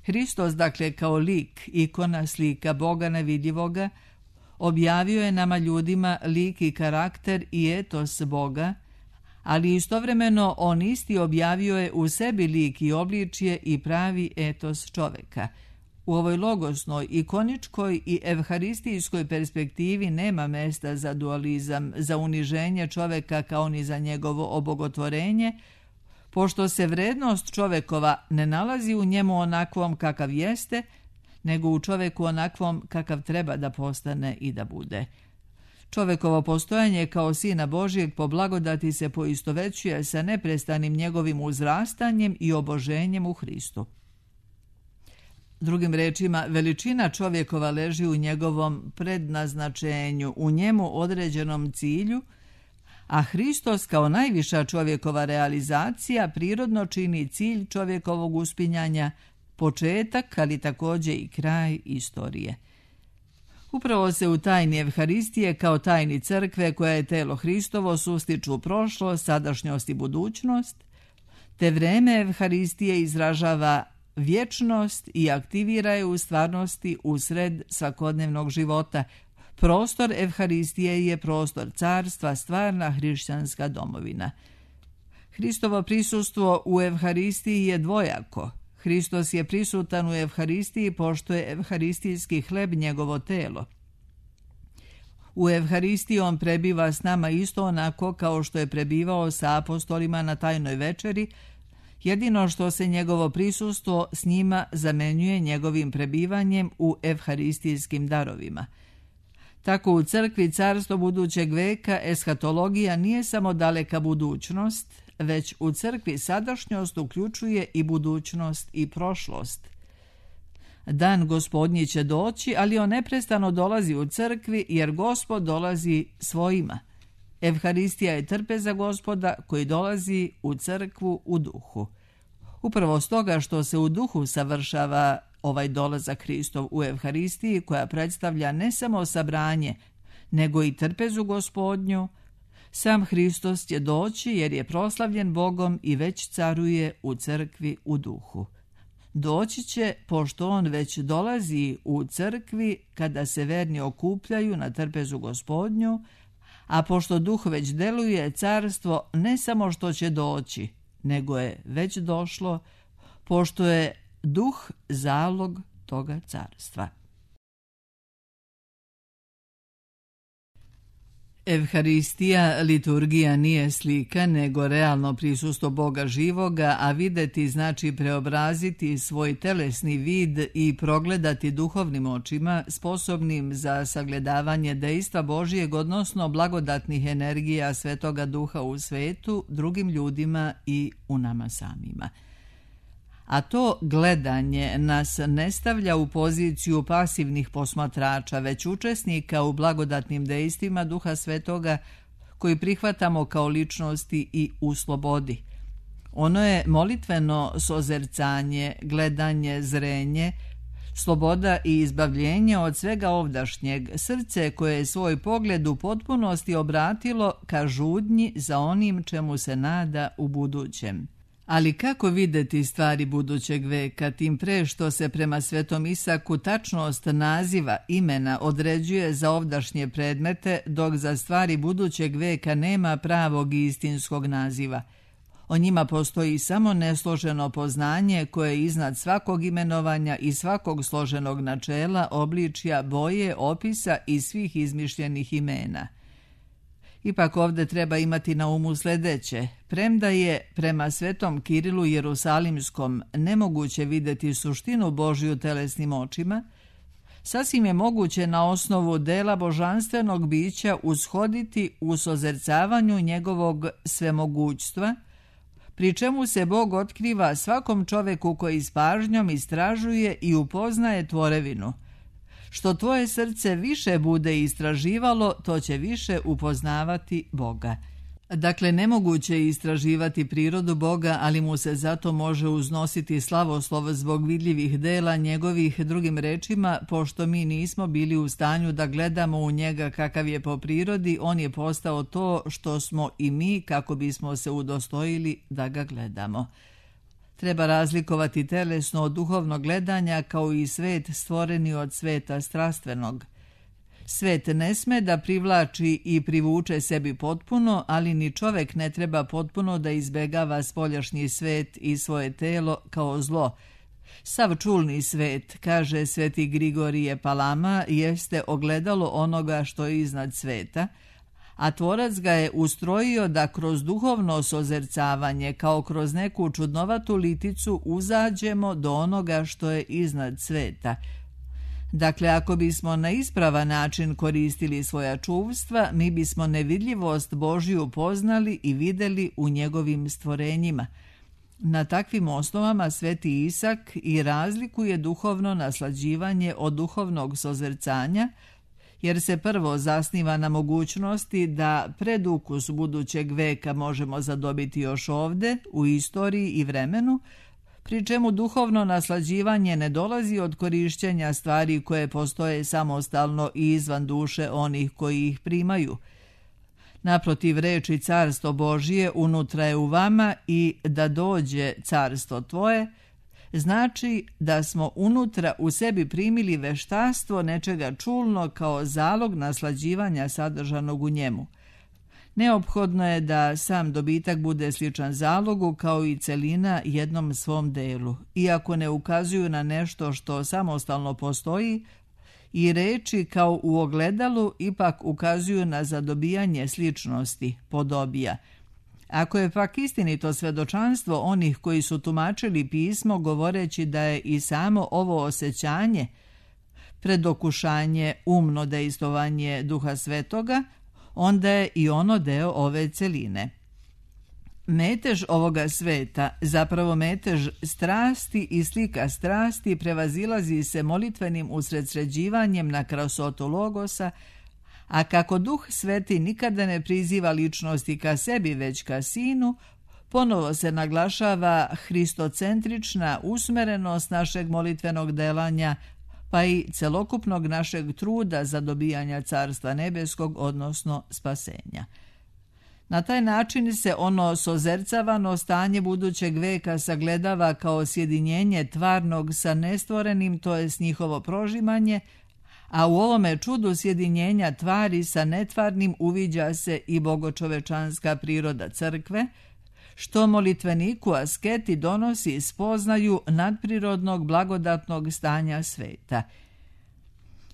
Hristos, dakle, kao lik, ikona, slika Boga nevidljivoga, objavio je nama ljudima lik i karakter i etos Boga, ali istovremeno on isti objavio je u sebi lik i obličje i pravi etos čoveka. U ovoj logosnoj, ikoničkoj i evharistijskoj perspektivi nema mesta za dualizam, za uniženje čoveka kao ni za njegovo obogotvorenje, pošto se vrednost čovekova ne nalazi u njemu onakvom kakav jeste, nego u čoveku onakvom kakav treba da postane i da bude. Čovekovo postojanje kao Sina Božijeg po blagodati se poistovećuje sa neprestanim njegovim uzrastanjem i oboženjem u Hristu. Drugim rečima, veličina čovjekova leži u njegovom prednaznačenju, u njemu određenom cilju, a Hristos kao najviša čovjekova realizacija prirodno čini cilj čovjekovog uspinjanja, početak, ali također i kraj istorije. Upravo se u tajni Evharistije kao tajni crkve, koja je telo Hristovo, sustiču prošlost, sadašnjost i budućnost, te vreme Evharistije izražava vječnost i aktivira je u stvarnosti usred svakodnevnog života. Prostor Evharistije je prostor carstva, stvarna hrišćanska domovina. Hristovo prisustvo u Evharistiji je dvojako. Hristos je prisutan u Evharistiji pošto je evharistijski hleb njegovo telo. U Evharistiji on prebiva s nama isto onako kao što je prebivao sa apostolima na tajnoj večeri, jedino što se njegovo prisustvo s njima zamenjuje njegovim prebivanjem u evharistijskim darovima. Tako u crkvi carstvo budućeg veka eshatologija nije samo daleka budućnost, već u crkvi sadašnjost uključuje i budućnost i prošlost. Dan Gospodnji će doći, ali on neprestano dolazi u crkvi jer Gospod dolazi svojima. Evharistija je trpeza Gospoda koji dolazi u crkvu u duhu. Upravo stoga što se u duhu savršava ovaj dolazak Hristov u Evharistiji, koja predstavlja ne samo sabranje, nego i trpezu Gospodnju, sam Hristos će doći jer je proslavljen Bogom i već caruje u crkvi u duhu. Doći će pošto on već dolazi u crkvi kada se verni okupljaju na trpezu Gospodnju, a pošto duh već deluje, carstvo ne samo što će doći, nego je već došlo, pošto je duh zalog toga carstva. Evharistija, liturgija nije slika, nego realno prisustvo Boga živoga, a videti znači preobraziti svoj telesni vid i progledati duhovnim očima, sposobnim za sagledavanje dejstva Božijeg, odnosno blagodatnih energija Svetoga Duha u svetu, drugim ljudima i u nama samima. A to gledanje nas ne stavlja u poziciju pasivnih posmatrača, već učesnika u blagodatnim dejstvima Duha Svetoga koji prihvatamo kao ličnosti i u slobodi. Ono je molitveno sozercanje, gledanje, zrenje, sloboda i izbavljenje od svega ovdašnjeg, srce koje je svoj pogled u potpunosti obratilo ka žudnji za onim čemu se nada u budućem. Ali kako videti stvari budućeg veka, tim pre što se prema Svetom Isaku tačnost naziva imena određuje za ovdašnje predmete, dok za stvari budućeg veka nema pravog i istinskog naziva. O njima postoji samo nesloženo poznanje koje je iznad svakog imenovanja i svakog složenog načela, obličja, boje, opisa i svih izmišljenih imena. Ipak ovdje treba imati na umu sljedeće. Premda je prema Svetom Kirilu Jerusalimskom nemoguće vidjeti suštinu Božju telesnim očima, sasvim je moguće na osnovu dela božanstvenog bića ushoditi u sozercavanju njegovog svemogućstva, pri čemu se Bog otkriva svakom čoveku koji s pažnjom istražuje i upoznaje tvorevinu. Što tvoje srce više bude istraživalo, to će više upoznavati Boga. Dakle, nemoguće je istraživati prirodu Boga, ali mu se zato može uznositi slavoslov zbog vidljivih dela njegovih, drugim rečima, pošto mi nismo bili u stanju da gledamo u njega kakav je po prirodi, on je postao to što smo i mi kako bismo se udostojili da ga gledamo. Treba razlikovati telesno od duhovnog gledanja kao i svet stvoreni od sveta strastvenog. Svet ne sme da privlači i privuče sebi potpuno, ali ni čovek ne treba potpuno da izbegava spoljašnji svet i svoje telo kao zlo. Sav čulni svet, kaže sveti Grigorije Palama, jeste ogledalo onoga što je iznad sveta, a tvorac ga je ustrojio da kroz duhovno sozercavanje, kao kroz neku čudnovatu liticu, uzađemo do onoga što je iznad sveta. Dakle, ako bismo na ispravan način koristili svoja čuvstva, mi bismo nevidljivost Božju poznali i videli u njegovim stvorenjima. Na takvim osnovama sveti Isak i razlikuje duhovno naslađivanje od duhovnog sozercanja, jer se prvo zasniva na mogućnosti da predukus budućeg veka možemo zadobiti još ovde, u istoriji i vremenu, pri čemu duhovno naslađivanje ne dolazi od korišćenja stvari koje postoje samostalno i izvan duše onih koji ih primaju. Naprotiv, reči carstvo Božije unutra je u vama i da dođe carstvo tvoje, znači da smo unutra u sebi primili veštastvo nečega čulno kao zalog naslađivanja sadržanog u njemu. Neophodno je da sam dobitak bude sličan zalogu kao i celina jednom svom delu. Iako ne ukazuju na nešto što samostalno postoji, i reči kao u ogledalu ipak ukazuju na zadobijanje sličnosti, podobija. Ako je pak istinito svedočanstvo onih koji su tumačili pismo govoreći da je i samo ovo osjećanje predokušanje, umno dejstovanje Duha Svetoga, onda je i ono deo ove celine. Metež ovoga sveta, zapravo metež strasti i slika strasti, prevazilazi se molitvenim usredsređivanjem na krasotu logosa, a kako Duh Sveti nikada ne priziva ličnosti ka sebi, već ka Sinu, ponovo se naglašava hristocentrična usmerenost našeg molitvenog delanja, pa i celokupnog našeg truda za dobijanja Carstva nebeskog, odnosno spasenja. Na taj način se ono sozercavano stanje budućeg veka sagledava kao sjedinjenje tvarnog sa nestvorenim, to jest njihovo prožimanje, a u ovome čudu sjedinjenja tvari sa netvarnim uviđa se i bogočovečanska priroda crkve, što molitveniku asketi donosi spoznaju nadprirodnog blagodatnog stanja sveta.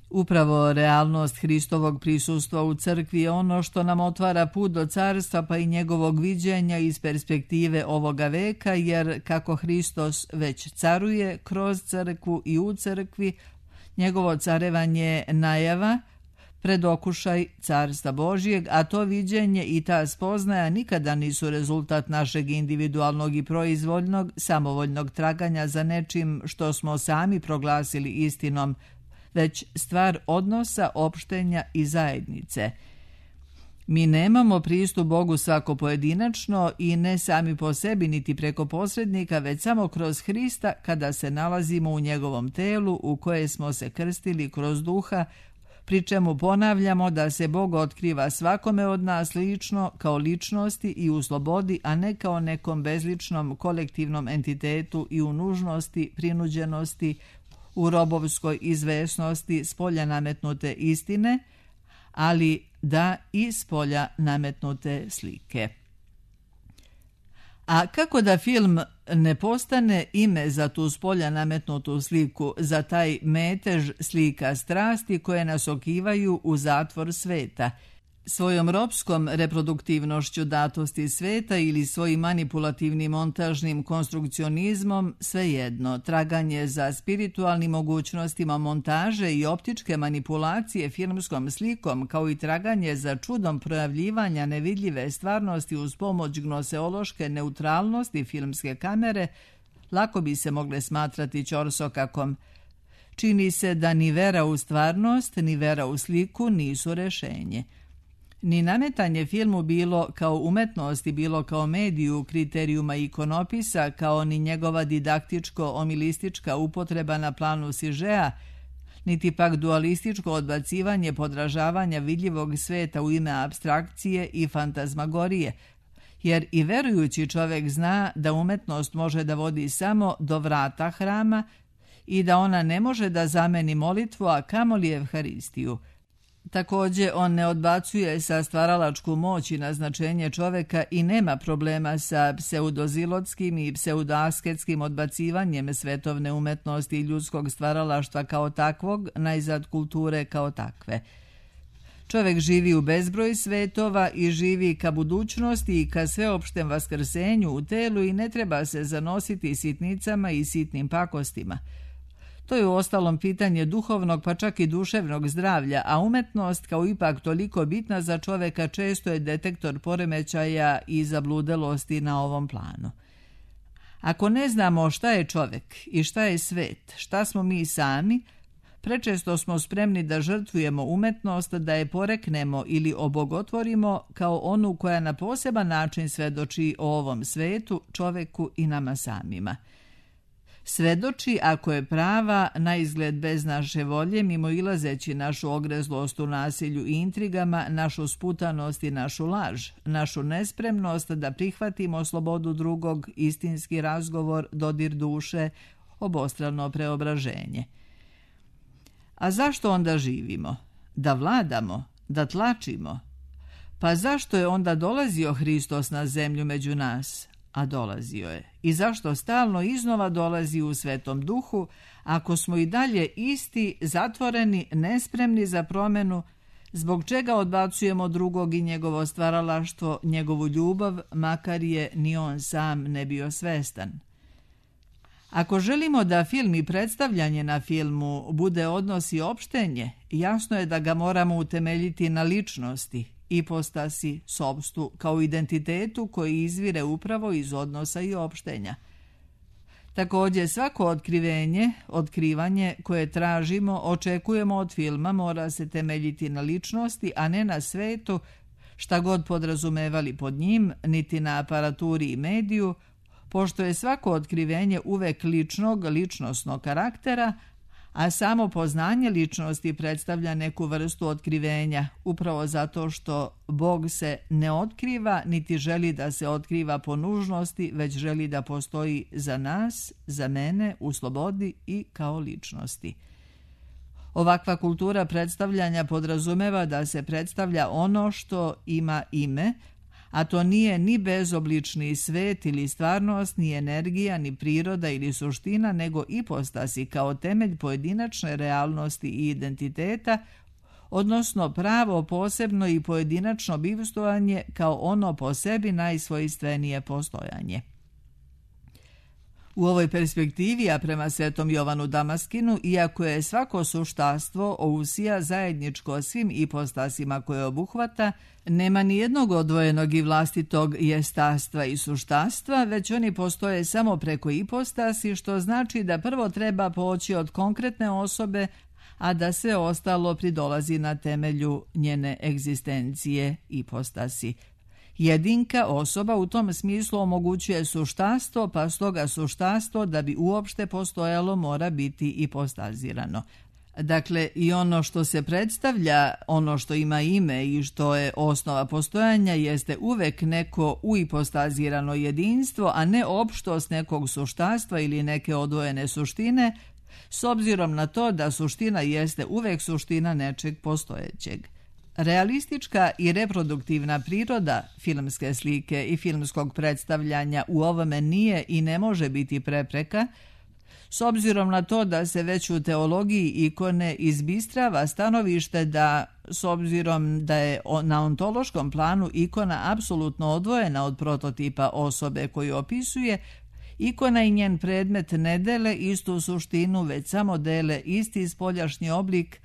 Upravo realnost Hristovog prisustva u crkvi je ono što nam otvara put do carstva, pa i njegovog viđenja iz perspektive ovoga veka, jer kako Hristos već caruje kroz crkvu i u crkvi, njegovo carevanje najava, predokušaj Carstva Božijeg, a to viđenje i ta spoznaja nikada nisu rezultat našeg individualnog i proizvoljnog, samovoljnog traganja za nečim što smo sami proglasili istinom, već stvar odnosa, opštenja i zajednice. Mi nemamo pristup Bogu svako pojedinačno i ne sami po sebi niti preko posrednika, već samo kroz Hrista kada se nalazimo u njegovom telu u koje smo se krstili kroz Duha, pri čemu ponavljamo da se Bog otkriva svakome od nas lično, kao ličnosti i u slobodi, a ne kao nekom bezličnom kolektivnom entitetu i u nužnosti, prinuđenosti, u robovskoj izvesnosti spolja nametnute istine, ali da i spolja nametnute slike. A kako da film ne postane ime za tu spolja nametnutu sliku, za taj metež slika strasti koje nas okivaju u zatvor sveta, svojom ropskom reproduktivnošću datosti sveta ili svojim manipulativnim montažnim konstrukcionizmom, svejedno, traganje za spiritualnim mogućnostima montaže i optičke manipulacije filmskom slikom, kao i traganje za čudom projavljivanja nevidljive stvarnosti uz pomoć gnoseološke neutralnosti filmske kamere, lako bi se mogle smatrati ćorsokakom. Čini se da ni vera u stvarnost, ni vera u sliku nisu rešenje. Ni nametanje filmu bilo kao umetnosti, bilo kao mediju kriterijuma ikonopisa, kao ni njegova didaktičko-omilistička upotreba na planu sižea, niti pak dualističko odbacivanje podražavanja vidljivog sveta u ime apstrakcije i fantazmagorije, jer i verujući čovek zna da umetnost može da vodi samo do vrata hrama i da ona ne može da zameni molitvu, a kamoli Evharistiju. Također, on ne odbacuje sa stvaralačku moć i naznačenje čoveka i nema problema sa pseudozilotskim i pseudoasketskim odbacivanjem svetovne umetnosti i ljudskog stvaralaštva kao takvog, najzad kulture kao takve. Čovek živi u bezbroj svetova i živi ka budućnosti i ka sveopštem vaskrsenju u telu i ne treba se zanositi sitnicama i sitnim pakostima. To je uostalom pitanje duhovnog pa čak i duševnog zdravlja, a umetnost kao ipak toliko bitna za čoveka često je detektor poremećaja i zabludelosti na ovom planu. Ako ne znamo šta je čovek i šta je svet, šta smo mi sami, prečesto smo spremni da žrtvujemo umetnost, da je poreknemo ili obogotvorimo kao onu koja na poseban način svedoči o ovom svetu, čoveku i nama samima. Svedoči ako je prava, na izgled bez naše volje, mimoilazeći našu ogrezlost u nasilju i intrigama, našu sputanost i našu laž, našu nespremnost da prihvatimo slobodu drugog, istinski razgovor, dodir duše, obostrano preobraženje. A zašto onda živimo? Da vladamo? Da tlačimo? Pa zašto je onda dolazio Hristos na zemlju među nas? A dolazio je. I zašto stalno iznova dolazi u Svetom Duhu, ako smo i dalje isti, zatvoreni, nespremni za promenu, zbog čega odbacujemo drugog i njegovo stvaralaštvo, njegovu ljubav, makar je ni on sam ne bio svestan. Ako želimo da film i predstavljanje na filmu bude odnos i opštenje, jasno je da ga moramo utemeljiti na ličnosti, ipostasi, sopstvu, kao identitetu koji izvire upravo iz odnosa i opštenja. Također, svako otkrivanje koje tražimo, očekujemo od filma mora se temeljiti na ličnosti, a ne na svetu, šta god podrazumevali pod njim, niti na aparaturi i mediju, pošto je svako otkrivenje uvek ličnosnog karaktera, a samo poznanje ličnosti predstavlja neku vrstu otkrivenja, upravo zato što Bog se ne otkriva, niti želi da se otkriva po nužnosti, već želi da postoji za nas, za mene, u slobodi i kao ličnosti. Ovakva kultura predstavljanja podrazumeva da se predstavlja ono što ima ime, a to nije ni bezoblični svet ili stvarnost, ni energija, ni priroda ili suština, nego ipostasi kao temelj pojedinačne realnosti i identiteta, odnosno pravo, posebno i pojedinačno bivstvovanje kao ono po sebi najsvojstvenije postojanje. U ovoj perspektivi, a prema Svetom Jovanu Damaskinu, iako je svako suštastvo ousija zajedničko svim ipostasima koje obuhvata, nema ni jednog odvojenog i vlastitog jestastva i suštastva, već oni postoje samo preko ipostasi, što znači da prvo treba poći od konkretne osobe, a da sve ostalo pridolazi na temelju njene egzistencije ipostasi. Jedinka osoba u tom smislu omogućuje suštastvo, pa stoga suštastvo da bi uopšte postojalo mora biti ipostazirano. Dakle, i ono što se predstavlja, ono što ima ime i što je osnova postojanja jeste uvek neko uipostazirano jedinstvo, a ne opštost nekog suštastva ili neke odvojene suštine, s obzirom na to da suština jeste uvek suština nečeg postojećeg. Realistička i reproduktivna priroda filmske slike i filmskog predstavljanja u ovome nije i ne može biti prepreka, s obzirom na to da se već u teologiji ikone izbistrava stanovište da, s obzirom da je na ontološkom planu ikona apsolutno odvojena od prototipa osobe koju opisuje, ikona i njen predmet ne dele istu suštinu, već samo dele isti spoljašnji oblik,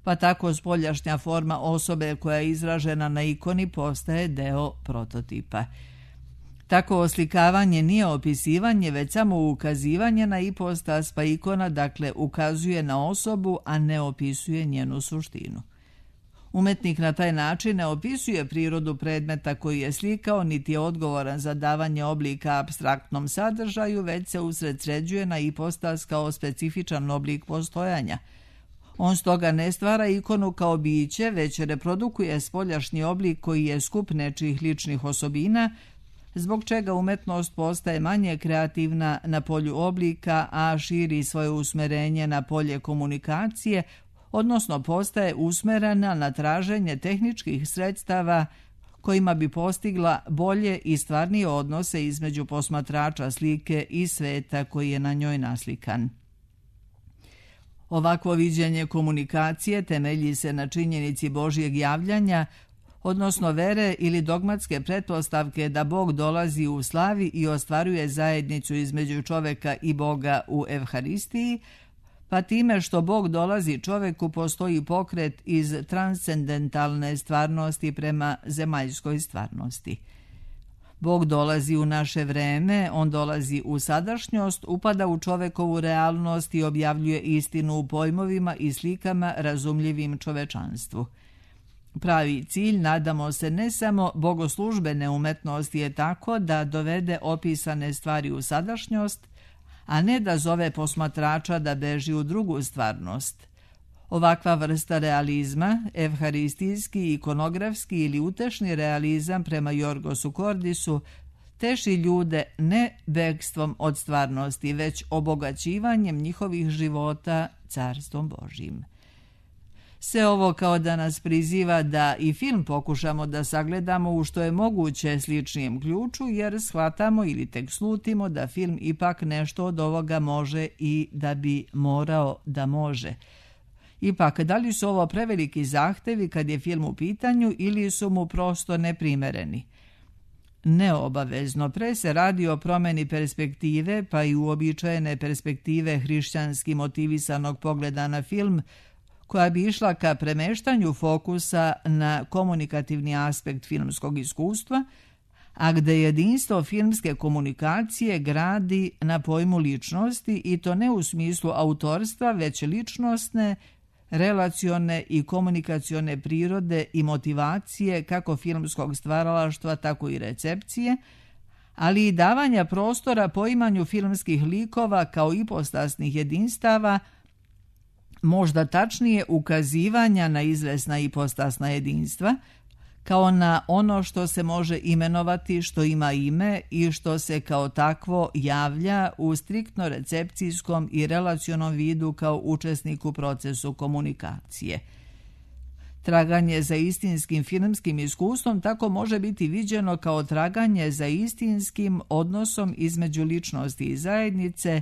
pa tako spoljašnja forma osobe koja je izražena na ikoni postaje deo prototipa. Tako oslikavanje nije opisivanje, već samo ukazivanje na ipostas, pa ikona dakle ukazuje na osobu, a ne opisuje njenu suštinu. Umetnik na taj način ne opisuje prirodu predmeta koji je slikao, niti je odgovoran za davanje oblika apstraktnom sadržaju, već se usredsređuje na ipostas kao specifičan oblik postojanja. On stoga ne stvara ikonu kao biće, već reprodukuje spoljašnji oblik koji je skup nečijih ličnih osobina, zbog čega umetnost postaje manje kreativna na polju oblika, a širi svoje usmerenje na polje komunikacije, odnosno postaje usmerena na traženje tehničkih sredstava kojima bi postigla bolje i stvarnije odnose između posmatrača slike i sveta koji je na njoj naslikan. Ovakvo viđenje komunikacije temelji se na činjenici Božjeg javljanja, odnosno vere ili dogmatske pretpostavke da Bog dolazi u slavi i ostvaruje zajednicu između čoveka i Boga u Evharistiji, pa time što Bog dolazi čoveku postoji pokret iz transcendentalne stvarnosti prema zemaljskoj stvarnosti. Bog dolazi u naše vreme, on dolazi u sadašnjost, upada u čovekovu realnost i objavljuje istinu u pojmovima i slikama razumljivim čovečanstvu. Pravi cilj, nadamo se, ne samo bogoslužbene umetnosti je tako da dovede opisane stvari u sadašnjost, a ne da zove posmatrača da beži u drugu stvarnost. Ovakva vrsta realizma, evharistijski, ikonografski ili utešni realizam prema Jorgosu Kordisu, teši ljude ne bekstvom od stvarnosti, već obogaćivanjem njihovih života carstvom Božjim. Sve ovo kao da nas priziva da i film pokušamo da sagledamo u što je moguće sličnijem ključu, jer shvatamo ili tek slutimo da film ipak nešto od ovoga može i da bi morao da može. Ipak, da li su ovo preveliki zahtevi kad je film u pitanju ili su mu prosto neprimereni? neobavezno. Pre se radi o promeni perspektive, pa i uobičajene perspektive hrišćanski motivisanog pogleda na film, koja bi išla ka premeštanju fokusa na komunikativni aspekt filmskog iskustva, a gde jedinstvo filmske komunikacije gradi na pojmu ličnosti, i to ne u smislu autorstva, već ličnosne, relacione i komunikacione prirode i motivacije kako filmskog stvaralaštva, tako i recepcije, ali i davanja prostora poimanju filmskih likova kao ipostasnih jedinstava, možda tačnije ukazivanja na izvesna ipostasna jedinstva, kao na ono što se može imenovati, što ima ime i što se kao takvo javlja u striktno recepcijskom i relacionom vidu kao učesnik u procesu komunikacije. Traganje za istinskim filmskim iskustvom tako može biti viđeno kao traganje za istinskim odnosom između ličnosti i zajednice,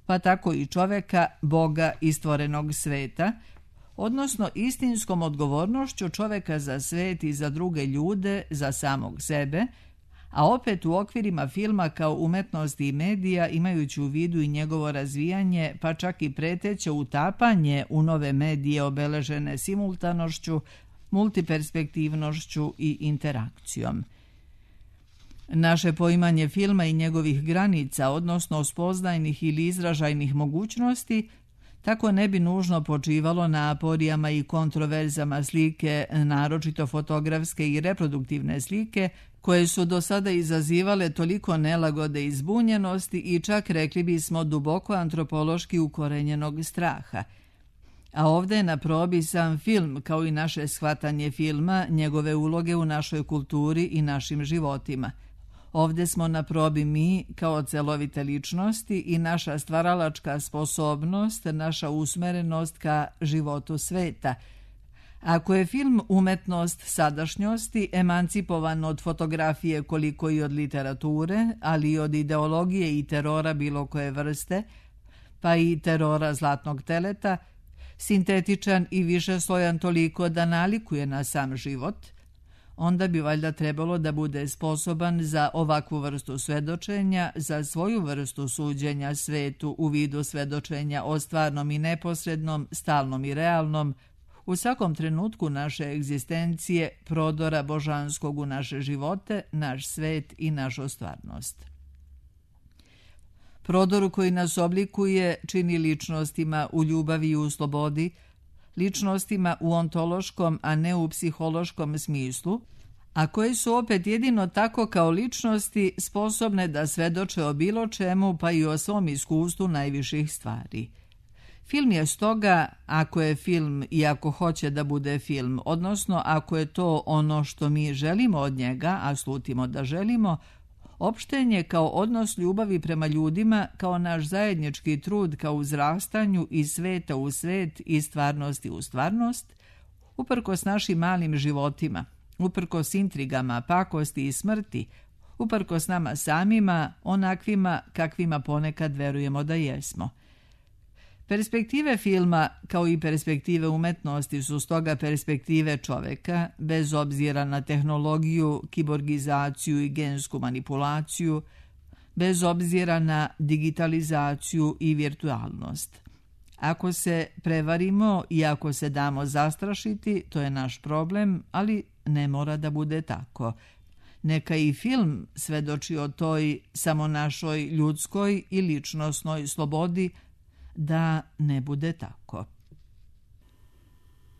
pa tako i čoveka, Boga i stvorenog sveta, odnosno istinskom odgovornošću čoveka za svet i za druge ljude, za samog sebe, a opet u okvirima filma kao umetnosti i medija, imajući u vidu i njegovo razvijanje, pa čak i preteće utapanje u nove medije obeležene simultanošću, multiperspektivnošću i interakcijom. Naše poimanje filma i njegovih granica, odnosno spoznajnih ili izražajnih mogućnosti, tako ne bi nužno počivalo na aporijama i kontroverzama slike, naročito fotografske i reproduktivne slike, koje su do sada izazivale toliko nelagode i zbunjenosti i čak, rekli bismo, duboko antropološki ukorenjenog straha. A ovdje je na probi sam film, kao i naše shvatanje filma, njegove uloge u našoj kulturi i našim životima. Ovdje smo na probi mi kao celovite ličnosti i naša stvaralačka sposobnost, naša usmerenost ka životu sveta. Ako je film umetnost sadašnjosti, emancipovan od fotografije koliko i od literature, ali i od ideologije i terora bilo koje vrste, pa i terora zlatnog teleta, sintetičan i višeslojan toliko da nalikuje na sam život, onda bi valjda trebalo da bude sposoban za ovakvu vrstu svedočenja, za svoju vrstu suđenja svetu u vidu svedočenja o stvarnom i neposrednom, stalnom i realnom, u svakom trenutku naše egzistencije, prodora božanskog u naše živote, naš svet i našu stvarnost. Prodoru koji nas oblikuje čini ličnostima u ljubavi i u slobodi, ličnostima u ontološkom, a ne u psihološkom smislu, a koje su opet jedino tako kao ličnosti sposobne da svedoče o bilo čemu, pa i o svom iskustvu najviših stvari. Film je stoga, ako je film i ako hoće da bude film, odnosno ako je to ono što mi želimo od njega, a slutimo da želimo, opštenje kao odnos ljubavi prema ljudima, kao naš zajednički trud ka uzrastanju iz sveta u svet i stvarnosti u stvarnost, uprkos našim malim životima, uprkos intrigama, pakosti i smrti, uprkos nama samima, onakvima kakvima ponekad verujemo da jesmo. Perspektive filma, kao i perspektive umetnosti, su stoga perspektive čoveka, bez obzira na tehnologiju, kiborgizaciju i gensku manipulaciju, bez obzira na digitalizaciju i virtualnost. Ako se prevarimo i ako se damo zastrašiti, to je naš problem, ali ne mora da bude tako. Neka i film svedoči o toj samo našoj ljudskoj i ličnosnoj slobodi, da ne bude tako.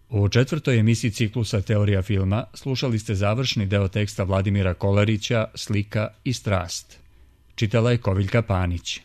U 4. emisiji ciklusa Teorija filma slušali ste završni deo teksta Vladimira Kolarića Slika i strast. Čitala je Koviljka Panić.